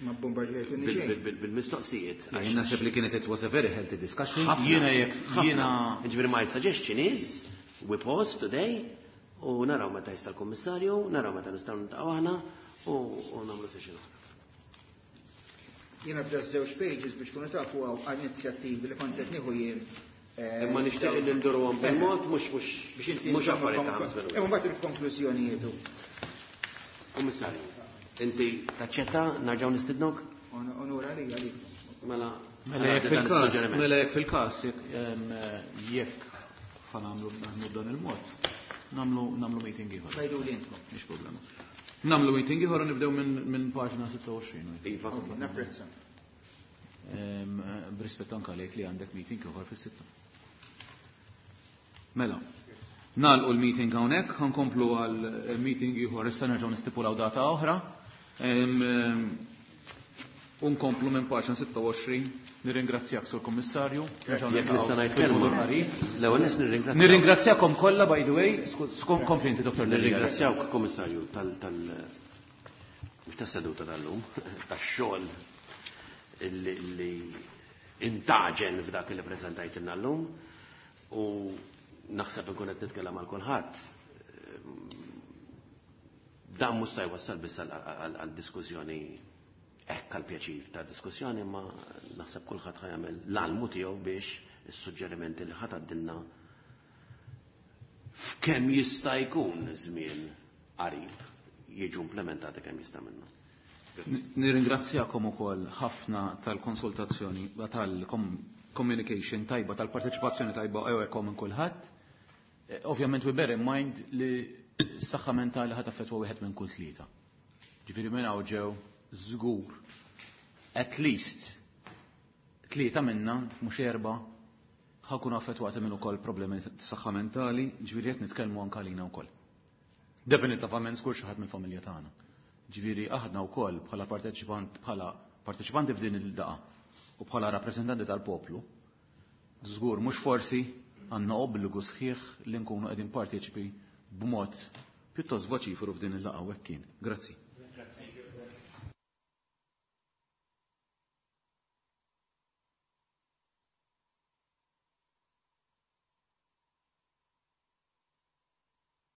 Ma bombardjajtuni xejn. Bil-mistoqsijiet. Jien naħseb li kienet it was a very healthy discussion. Ħafna. Jiena jekk Ħafna. jiena Ġifieri my suggestion is we pause today u naraw meta jista' l-Kummissarju, naraw meta nistgħu niltaqgħu aħna u u nagħmlu session oħra. Jiena f'da żewġ pages biex kunu tafu hawn inizjattivi li kont qed nieħu jien. eh, Imma nixtieq li ndurhom bil-mod mhux mhux biex inti mhux affarijiet ta' ħames minuti. Imma mbagħad il-konklużjonijiet. Kummissarju, inti taċċetta narġgħu nistidnok? Onura li għalik. Mela Mela jekk għaddi dan fil-każ, is-suġġeriment. mela jekk fil-każ, jekk em, jekk ħa nagħmlu naħdmu b'dan il-mod, nagħmlu nagħmlu meeting ieħor. Għidu li intkom. Mhix problema. Nagħmlu meeting ieħor u nibdew minn minn paġna sitta u għoxrin. Iva. Ok, napprezza. Em, B'rispett anke għalek li għandek meeting ieħor fis-sitta. Mela, nagħlqu l-meeting hawnhekk, ħa nkomplu għal meeting ieħor issa nerġgħu nistipulaw data oħra. Em, em, U nkomplu minn paġna sitta u għoxrin. Nirringrazzjak, Sur Kommissarju. Nerġgħu Jekk nista' ngħid fil-futur kelma. qarib. L-ewwel nies nirringrazzjak. Nirringrazzjakom kollha, by the way, sku- kompli inti, Doktor Nirringrazzjak. Nirringrazzjawk, Kommissarju, tal tal mhux tas-seduta tal-lum, tax-xogħol illi illi intaġen f'dak li preżentajtilna llum u naħseb inkun qed nitkellem għal kulħadd. Dan mhux se jwassal biss għal għal diskussjoni hekk għal pjaċir ta' diskussjoni, ma naħseb kulħadd ħa jagħmel l-almu tiegħu biex is-suġġerimenti li ħadd għaddilna f'kemm jista' jkun żmien qarib jiġu implementati kemm jista' minnu. Nirringrazzjakom ukoll ħafna tal-konsultazzjoni, tal-communication tajba, tal-parteċipazzjoni tajba ewwekom minn kulħadd. Eh, Ovvjament we bear in mind li s-saħħa mentali ħa taffettwa wieħed minn kull tlieta. Ġifieri minn hawn ġew żgur at least tlieta minna, mhux erba', ħa nkunu affettwati minn ukoll problemi tas-saħħa mentali, ġifieri qed nitkellmu anke għalina wkoll. Definitivament żgur xi ħadd mill-familja tagħna. Ġifieri aħna wkoll bħala parteċipant bħala parteċipanti f'din il-laqgħa u bħala rappreżentanti tal-poplu, żgur mhux forsi għandna obbligu sħiħ li nkunu qegħdin parteċipi b'mod pjuttost voċiferu f'din il-laqgħa u hekk kien. Grazzi.